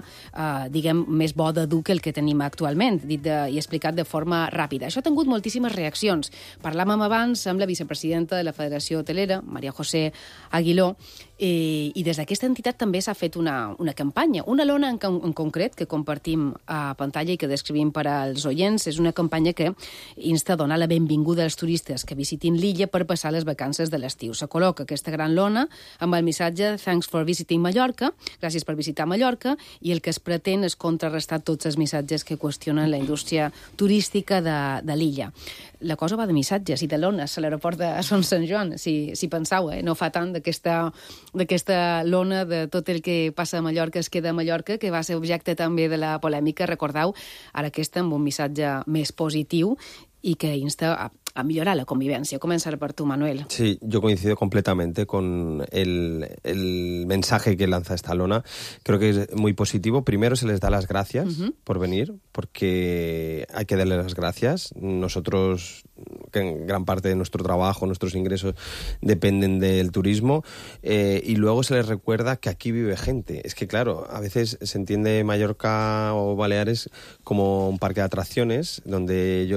S1: diguem, més bo de dur que el que tenim actualment, dit i explicat de forma ràpida. Això ha tingut moltíssimes reaccions. Parlàvem abans amb la vicepresidenta de la Federació Hotelera, Maria José Aguiló, i des d'aquesta entitat també s'ha fet una campanya, una lona en concret que compartim a pantalla i que descrivim per als oients. És una campanya que insta a donar la benvinguda als turistes que visitin l'illa per passar les vacances de l'estiu. Se col·loca aquesta gran lona amb el missatge "Thanks for visiting Mallorca", gràcies per visitar Mallorca, i el que es pretén és contrarrestar tots els missatges que qüestionen la indústria turística de l'illa. La cosa va de missatges i de lones a l'aeroport de Son Sant Joan, si pensau, no fa tant d'aquesta lona de tot el que passa a Mallorca es queda a Mallorca, que va ser objecte també de la polèmica, recordeu, ara aquesta amb un missatge més positiu i que insta a mejorar la convivencia. Comenzar por tú, Manuel.
S11: Sí, yo coincido completamente con el mensaje que lanza esta lona. Creo que es muy positivo. Primero se les da las gracias por venir, porque hay que darles las gracias. Nosotros, que en gran parte de nuestro trabajo, nuestros ingresos dependen del turismo, y luego se les recuerda que aquí vive gente. Es que, claro, a veces se entiende Mallorca o Baleares como un parque de atracciones, donde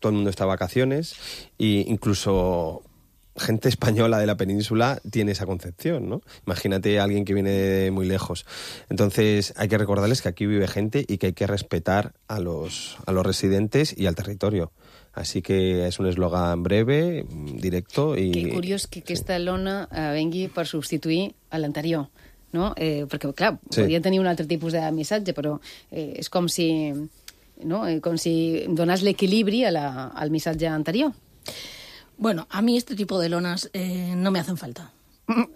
S11: todo el mundo está de vacaciones, e incluso gente española de la península tiene esa concepción, ¿no? Imagínate a alguien que viene de muy lejos. Entonces hay que recordarles que aquí vive gente y que hay que respetar a los residentes y al territorio. Así que és un eslògan breve, directo i...
S1: Que curiós que aquesta lona vengui per substituir a l'anterior, no? Perquè, clar, podria tenir un altre tipus de missatge, però és com si... ¿no? Com si donas l'equilibri al missatge anterior.
S10: Bueno, a mí este tipo de lonas no me hacen falta.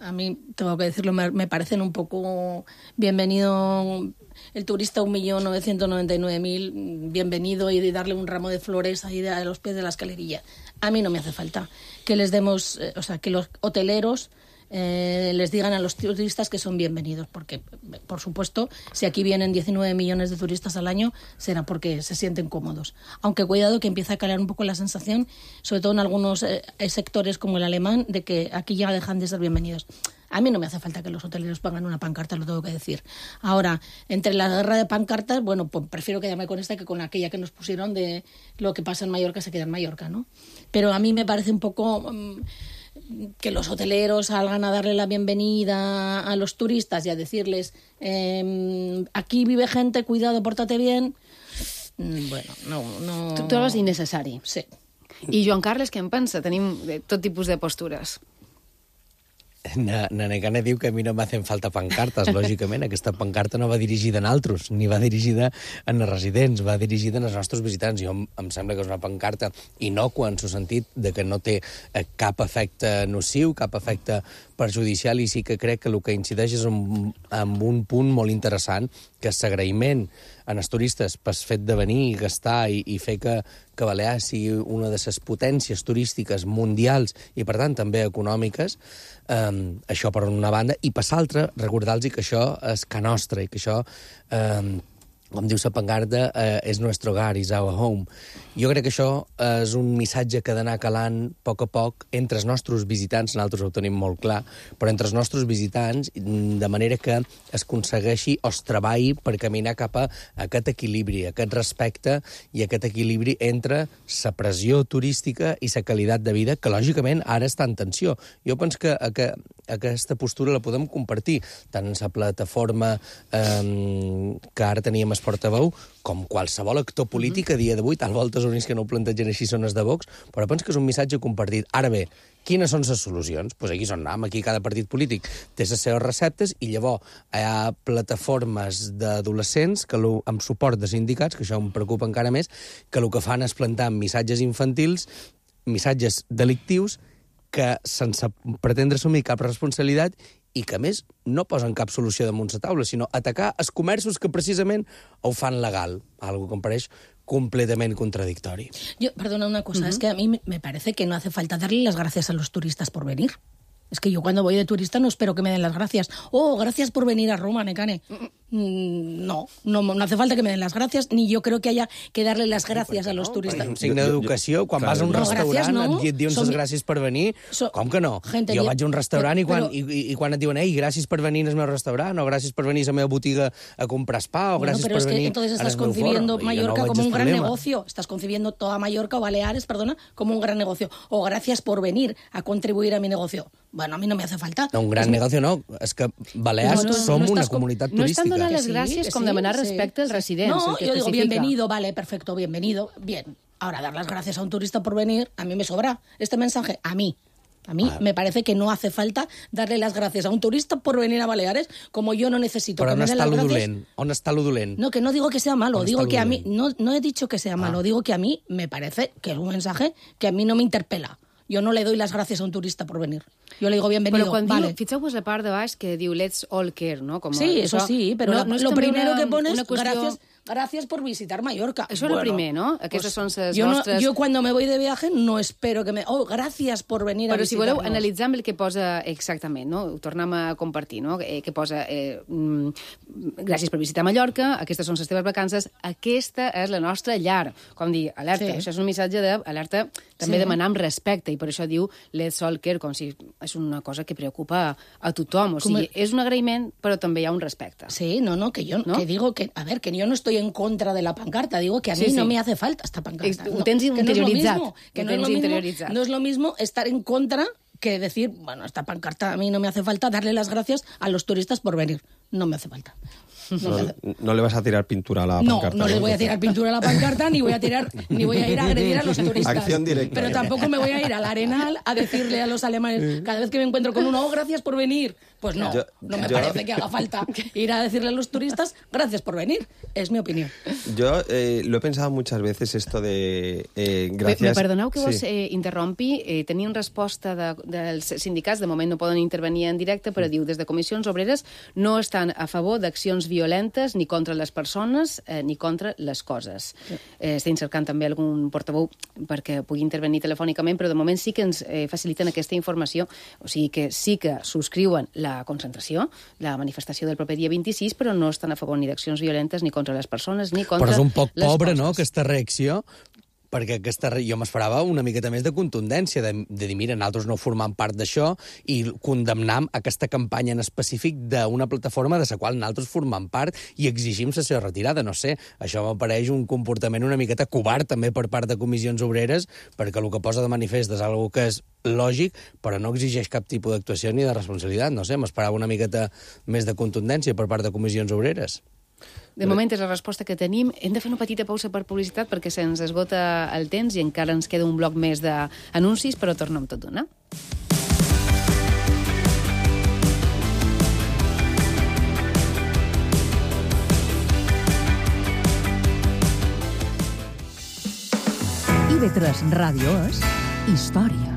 S10: A mí, tengo que decirlo, me parecen un poco bienvenido el turista 1.999.000, bienvenido, y de darle un ramo de flores ahí a los pies de la escalerilla. A mí no me hace falta que les demos, o sea, que los hoteleros les digan a los turistas que son bienvenidos, porque, por supuesto, si aquí vienen 19 millones de turistas al año, será porque se sienten cómodos. Aunque cuidado, que empieza a calar un poco la sensación, sobre todo en algunos sectores como el alemán, de que aquí ya dejan de ser bienvenidos. A mí no me hace falta que los hoteleros pongan una pancarta, lo tengo que decir. Ahora, entre la guerra de pancartas, bueno, pues prefiero quedarme con esta que con aquella que nos pusieron de lo que pasa en Mallorca se queda en Mallorca, ¿no? Pero a mí me parece un poco... que los hoteleros salgan a darle la bienvenida a los turistas y a decirles aquí vive gente, cuidado, pórtate bien. Bueno, no...
S1: Tu trobes innecessari.
S10: Sí.
S1: I Joan Carles, què en pensa? Tenim tot tipus de postures.
S8: Nanegana diu que a mi no m'hacen falta pancartes. Lògicament, aquesta pancarta no va dirigida a altres, ni va dirigida a residents, va dirigida als nostres visitants. Jo em sembla que és una pancarta innocua en el sentit de que no té cap efecte nociu, cap efecte perjudicial, i sí que crec que el que incideix és en un punt molt interessant, que és l'agraïment als turistes pel fet de venir i gastar i fer que Balears sigui una de les potències turístiques mundials i, per tant, també econòmiques. Això per una banda, i per l'altra, recordar-los que això és ca nostra i que això, com diu la pancarta, és nostre hogar, is our home. Jo crec que això és un missatge que ha d'anar calant a poc entre els nostres visitants, nosaltres ho tenim molt clar, però entre els nostres visitants, de manera que es aconsegueixi o es treballi per caminar cap a aquest equilibri, aquest respecte i aquest equilibri entre la pressió turística i la qualitat de vida, que lògicament ara està en tensió. Jo penso que aquesta postura la podem compartir, tant en la plataforma que ara teníem el portaveu, com qualsevol actor polític a dia d'avui. Tal volta els únics que no ho plantegen així són els de Vox, però penso que és un missatge compartit. Ara bé, quines són les solucions? Doncs aquí són aquí cada partit polític té les seves receptes, i llavors hi ha plataformes d'adolescents que amb suport de sindicats, que això em preocupa encara més, que el que fan és plantar missatges infantils, missatges delictius, que sense pretendre assumir cap responsabilitat i que, a més, no posen cap solució damunt la taula, sinó atacar els comerços que precisament ho fan legal, algo que em pareix completamente contradictorio.
S10: Perdona una cosa, es que a mí me parece que no hace falta darle las gracias a los turistas por venir. Es que yo cuando voy de turista no espero que me den las gracias. Oh, gracias por venir a Roma, Necane. No hace falta que me den las gracias, ni yo creo que haya que darle las gracias a los turistas.
S8: Un signe d'educació, quan vas a un restaurant et diuen les gràcies per venir, com que no? Jo vaig a un restaurant i quan et diuen gràcies per venir al meu restaurant, o gràcies per venir a la meva botiga a comprar spa, o gràcies per venir
S10: entonces estás concibiendo Mallorca como un gran negocio, estás concibiendo toda Mallorca o Baleares, como un gran negocio, o gracias por venir a contribuir a mi negocio. Bueno, a mí no me hace falta.
S8: No, un gran negocio no, és que Balears som una comunitat turística.
S1: No estan donant les gràcies com demanar respecte als residents.
S10: No, yo digo, bienvenido, vale, perfecto, bienvenido, bien. Ahora, dar las gracias a un turista por venir, a mí me sobra este mensaje, a mí me parece que no hace falta darle las gracias a un turista por venir a Baleares, como yo no necesito que me den las gracias.
S8: On està lo dolent?
S10: No, que no digo que sea malo, digo que a mí, no he dicho que sea malo, digo que a mí me parece que es un mensaje que a mí no me interpela. Jo no le doy las gracias a un turista por venir. Yo le digo bienvenido,
S1: però quan
S10: vale.
S1: Fixeu-vos la part de baix que diu let's all care, ¿no? Como
S10: sí, eso sí, pero lo primero que pones, gracias por visitar Mallorca.
S1: Això és el primer, no? Aquestes són les
S10: vostres... Jo quan me voy de viaje no espero que me... gracias por venir a visitar-nos.
S1: Però si voleu analitzar amb el que posa exactament, no? Ho tornem a compartir, no? Que posa gràcies per visitar Mallorca, aquestes són les teves vacances, aquesta és la nostra llar. Com dir, alerta, això és un missatge d'alerta, també demanar amb respecte, i per això diu let's all care, com si és una cosa que preocupa a tothom. O sigui, és un agraïment, però també hi ha un respecte.
S10: Sí, que digo que, a ver, que yo no estoy en contra de la pancarta, digo que a mí no me hace falta esta pancarta.
S1: Ho tens interioritzat.
S10: No es lo mismo estar en contra que decir, bueno, esta pancarta a mí no me hace falta darle las gracias a los turistas por venir. No me hace falta.
S11: No le vas a tirar pintura a la pancarta.
S10: No les voy a tirar pintura a la pancarta, ni voy a ir a agredir a los turistas.
S11: Acción directa.
S10: Pero tampoco me voy a ir al Arenal a decirle a los alemanes, cada vez que me encuentro con uno, gracias por venir. Pues no, no me parece que haga falta ir a decirle a los turistas, gracias por venir. Es mi opinión.
S11: Yo lo he pensado muchas veces esto de gracias...
S1: Me perdoneu que vos interrompi. Tenim resposta dels sindicats, de moment no poden intervenir en directe, però diu, des de Comissions Obreres no estan a favor d'accions violentes ni contra les persones ni contra les coses. Estem cercant també algun portaveu perquè pugui intervenir telefònicament, però de moment sí que ens faciliten aquesta informació, o sigui que sí que subscriuen la concentració, la manifestació del proper dia 26, però no estan a favor ni d'accions violentes ni contra les persones ni contra les coses.
S8: Però és un poc pobre, no?, aquesta reacció, perquè jo m'esperava una miqueta més de contundència, de dir, mira, nosaltres no formam part d'això i condemnam aquesta campanya en específic d'una plataforma de la qual nosaltres formam part i exigim la seva retirada. No sé, això m'apareix un comportament una miqueta covard també per part de Comissions Obreres, perquè el que posa de manifest és una que és lògic, però no exigeix cap tipus d'actuació ni de responsabilitat. No sé, m'esperava una miqueta més de contundència per part de Comissions Obreres.
S1: De moment és la resposta que tenim. Hem de fer una petita pausa per publicitat perquè se'ns esgota el temps i encara ens queda un bloc més d'anuncis, però tornem tot d'una.
S14: IB3 Ràdio és història.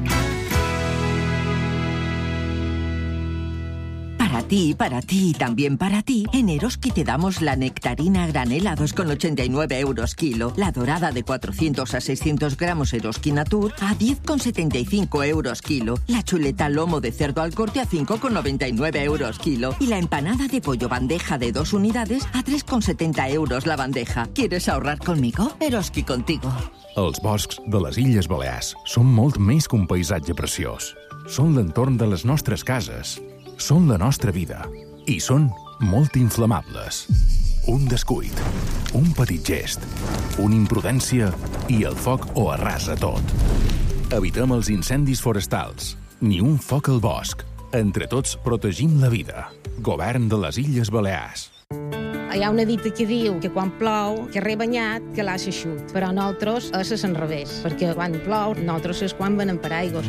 S15: Para ti y también para ti, en Eroski te damos la nectarina a granel a 2,89 euros kilo, la dorada de 400 a 600 gramos Eroski Natur a 10,75 euros kilo, la chuleta lomo de cerdo al corte a 5,99 euros kilo y la empanada de pollo bandeja de 2 unidades a 3,70 euros la bandeja. ¿Quieres ahorrar conmigo? Eroski contigo.
S16: Els boscs de les Illes Balears són molt més que un paisatge preciós. Són l'entorn de les nostres cases. Són la nostra vida. I són molt inflamables. Un descuit, un petit gest, una imprudència i el foc ho arrasa tot. Evitem els incendis forestals. Ni un foc al bosc. Entre tots protegim la vida. Govern de les Illes Balears.
S17: Hi ha una dita que diu que quan plou, que rebanyat, que l'aixa xut. Però nosaltres és l'enrevés, perquè quan plou, nosaltres és quan venen paraigües.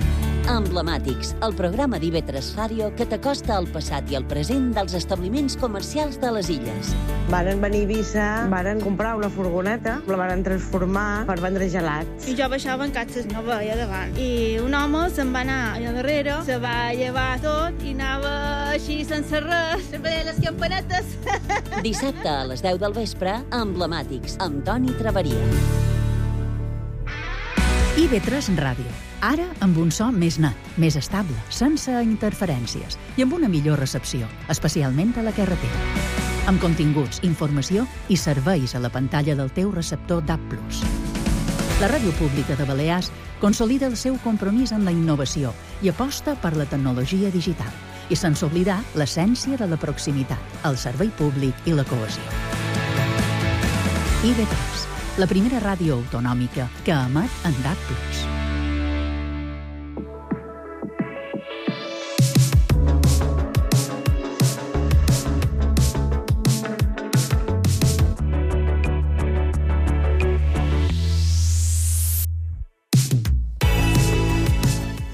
S6: Emblemàtics, el programa d'IB3 Ràdio que t'acosta al passat i al present dels establiments comercials de les illes.
S18: Varen venir a Eivissa, varen comprar una furgoneta, la varen transformar per vendre gelats.
S19: I jo baixava en catxes, no veia davant. I un home se'n va anar allà darrere, se va llevar tot i anava així sense res, sempre deia les campanetes.
S6: Dissabte a les 10 del vespre, Emblemàtics, amb Toni Traveria.
S14: IB3 Ràdio. Ara amb un so més net, més estable, sense interferències i amb una millor recepció, especialment a la carretera. amb continguts, informació i serveis a la pantalla del teu receptor DAB+. La Ràdio Pública de Balears consolida el seu compromís amb la innovació i aposta per la tecnologia digital, i sense oblidar l'essència de la proximitat, el servei públic i la cohesió. IB3, la primera ràdio autonòmica que emet en DAB+.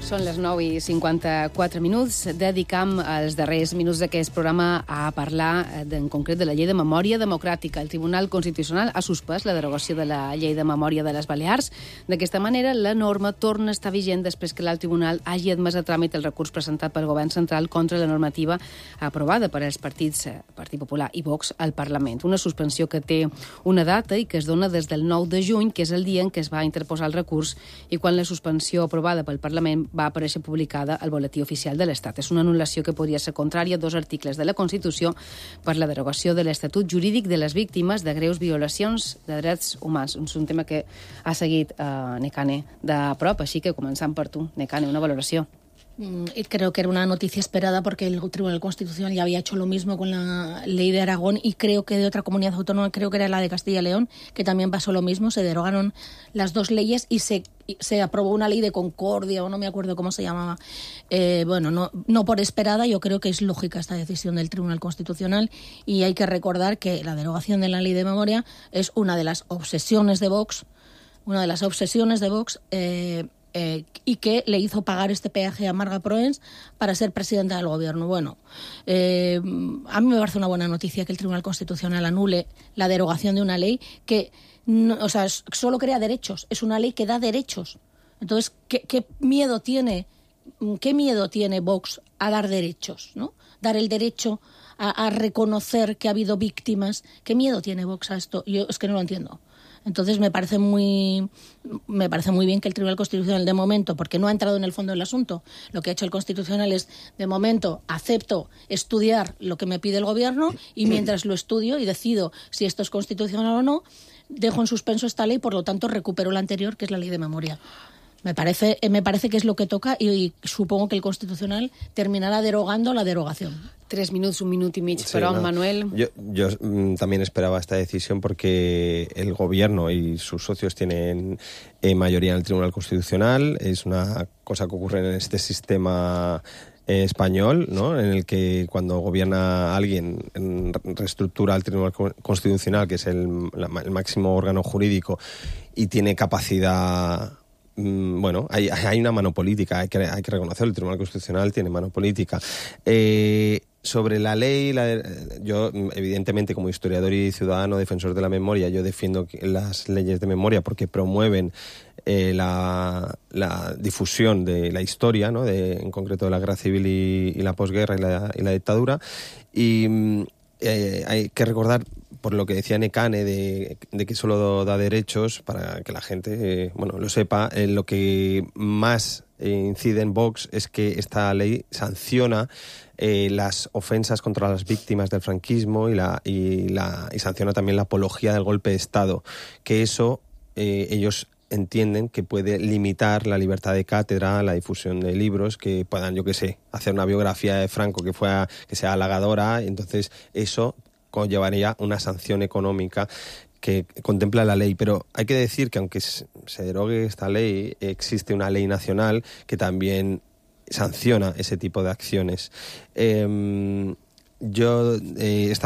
S1: Són les 9:54 minuts. Dedicam els darrers minuts d'aquest programa a parlar en concret de la llei de memòria democràtica. El Tribunal Constitucional ha suspès la derogació de la llei de memòria de les Balears. D'aquesta manera, la norma torna a estar vigent després que l'alt tribunal hagi admès a tràmit el recurs presentat pel Govern central contra la normativa aprovada per als partits Partit Popular i Vox al Parlament. Una suspensió que té una data i que es dona des del 9 de juny, que és el dia en què es va interposar el recurs i quan la suspensió aprovada pel Parlament va aparèixer publicada al Boletí Oficial de l'Estat. És una anul·lació que podria ser contrària a 2 articles de la Constitució per la derogació de l'Estatut Jurídic de les Víctimes de greus violacions de drets humans. És un tema que ha seguit Nekane de prop, així que començant per tu, Nekane, una valoració.
S10: Creo que era una noticia esperada porque el Tribunal Constitucional ya había hecho lo mismo con la ley de Aragón y creo que de otra comunidad autónoma, creo que era la de Castilla y León, que también pasó lo mismo, se derogaron las 2 leyes y se aprobó una ley de concordia o no me acuerdo cómo se llamaba. No por esperada, yo creo que es lógica esta decisión del Tribunal Constitucional y hay que recordar que la derogación de la ley de memoria es una de las obsesiones de Vox, y que le hizo pagar este peaje a Marga Proens para ser presidenta del gobierno. Bueno, a mí me parece una buena noticia que el Tribunal Constitucional anule la derogación de una ley que solo crea derechos, es una ley que da derechos. Entonces, ¿qué miedo tiene Vox a dar derechos, ¿no? Dar el derecho a reconocer que ha habido víctimas. ¿Qué miedo tiene Vox a esto? Yo es que no lo entiendo. Entonces me parece muy bien que el Tribunal Constitucional de momento, porque no ha entrado en el fondo del asunto, lo que ha hecho el Constitucional es, de momento, acepto estudiar lo que me pide el Gobierno y mientras lo estudio y decido si esto es constitucional o no, dejo en suspenso esta ley, por lo tanto recupero la anterior, que es la ley de memoria. Me parece que es lo que toca y supongo que el Constitucional terminará derogando la derogación.
S1: 3 minutos, 1 minut y medio, pero Manuel...
S11: Yo también esperaba esta decisión porque el Gobierno y sus socios tienen mayoría en el Tribunal Constitucional. Es una cosa que ocurre en este sistema español, ¿no? En el que cuando gobierna alguien reestructura el Tribunal Constitucional, que es el máximo órgano jurídico, y tiene capacidad... Bueno, hay una mano política, hay que reconocerlo, el Tribunal Constitucional tiene mano política. Sobre la ley, yo evidentemente como historiador y ciudadano defensor de la memoria, yo defiendo las leyes de memoria porque promueven la difusión de la historia, ¿no? En concreto de la guerra civil y la posguerra y la dictadura. Y hay que recordar, por lo que decía Nekane, de que solo da derechos, para que la gente lo sepa, lo que más incide en Vox es que esta ley sanciona las ofensas contra las víctimas del franquismo y sanciona también la apología del golpe de Estado, que eso ellos entienden que puede limitar la libertad de cátedra, la difusión de libros que puedan, hacer una biografía de Franco que sea halagadora, y entonces eso conllevaría una sanción económica que contempla la ley. Pero hay que decir que aunque se derogue esta ley, existe una ley nacional que también sanciona ese tipo de acciones. Esta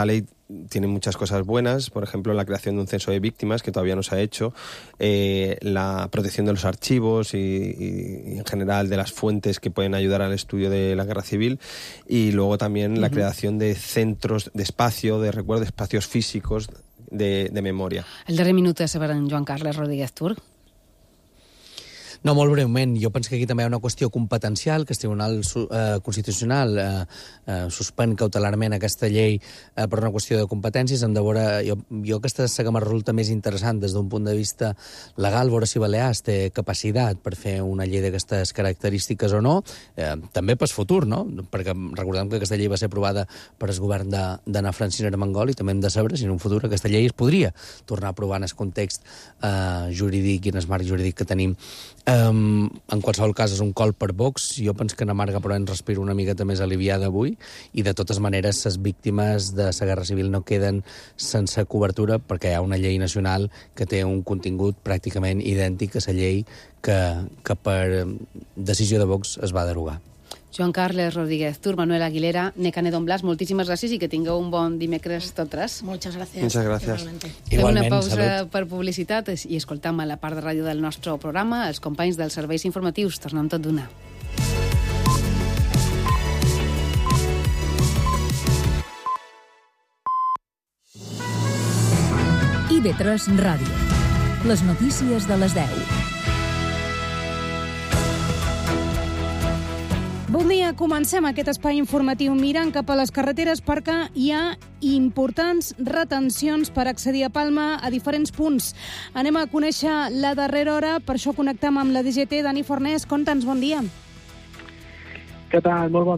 S11: ley tiene muchas cosas buenas, por ejemplo, la creación de un censo de víctimas que todavía no se ha hecho, la protección de los archivos y en general de las fuentes que pueden ayudar al estudio de la guerra civil, y luego también la creación de centros de espacio, de recuerdo, de espacios físicos de memoria.
S1: El darrer minut és per en Joan Carles Rodríguez Turc.
S8: No, molt breument. Jo penso que aquí també hi ha una qüestió competencial, que el Tribunal Constitucional suspèn cautelarment aquesta llei per una qüestió de competències. Hem de veure, jo aquesta és la que me resulta més interessant des d'un punt de vista legal, veure si Balears té capacitat per fer una llei d'aquestes característiques o no, també pel futur, no? Perquè recordem que aquesta llei va ser aprovada per el govern d'Anna Francina Armengol i també hem de saber si en un futur aquesta llei es podria tornar a aprovar en el context jurídic i en el marc jurídic que tenim. En qualsevol cas és un col per Vox. Jo penso que na Marga però ens respiro una miqueta més aliviada avui i de totes maneres les víctimes de la Guerra Civil no queden sense cobertura perquè hi ha una llei nacional que té un contingut pràcticament idèntic a la llei que per decisió de Vox es va derogar.
S1: Joan Carles Rodríguez Tur, Manuel Aguilera, Nekane Don Blas, moltíssimes gràcies i que tingueu un bon dimecres tot tres.
S10: Muchas gracias.
S11: Muchas gracias.
S1: Fem una pausa per publicitat i escoltam a la part de ràdio del nostre programa els companys dels serveis informatius. Tornem tot d'una.
S14: IB3 Ràdio. Les notícies de les 10.
S20: Bon dia, comencem aquest espai informatiu mirant cap a les carreteres perquè hi ha importants retencions per accedir a Palma a diferents punts. Anem a conèixer la darrera hora, per això connectem amb la DGT. Dani Fornés, conta'ns, bon dia.
S21: Què tal? Molt bon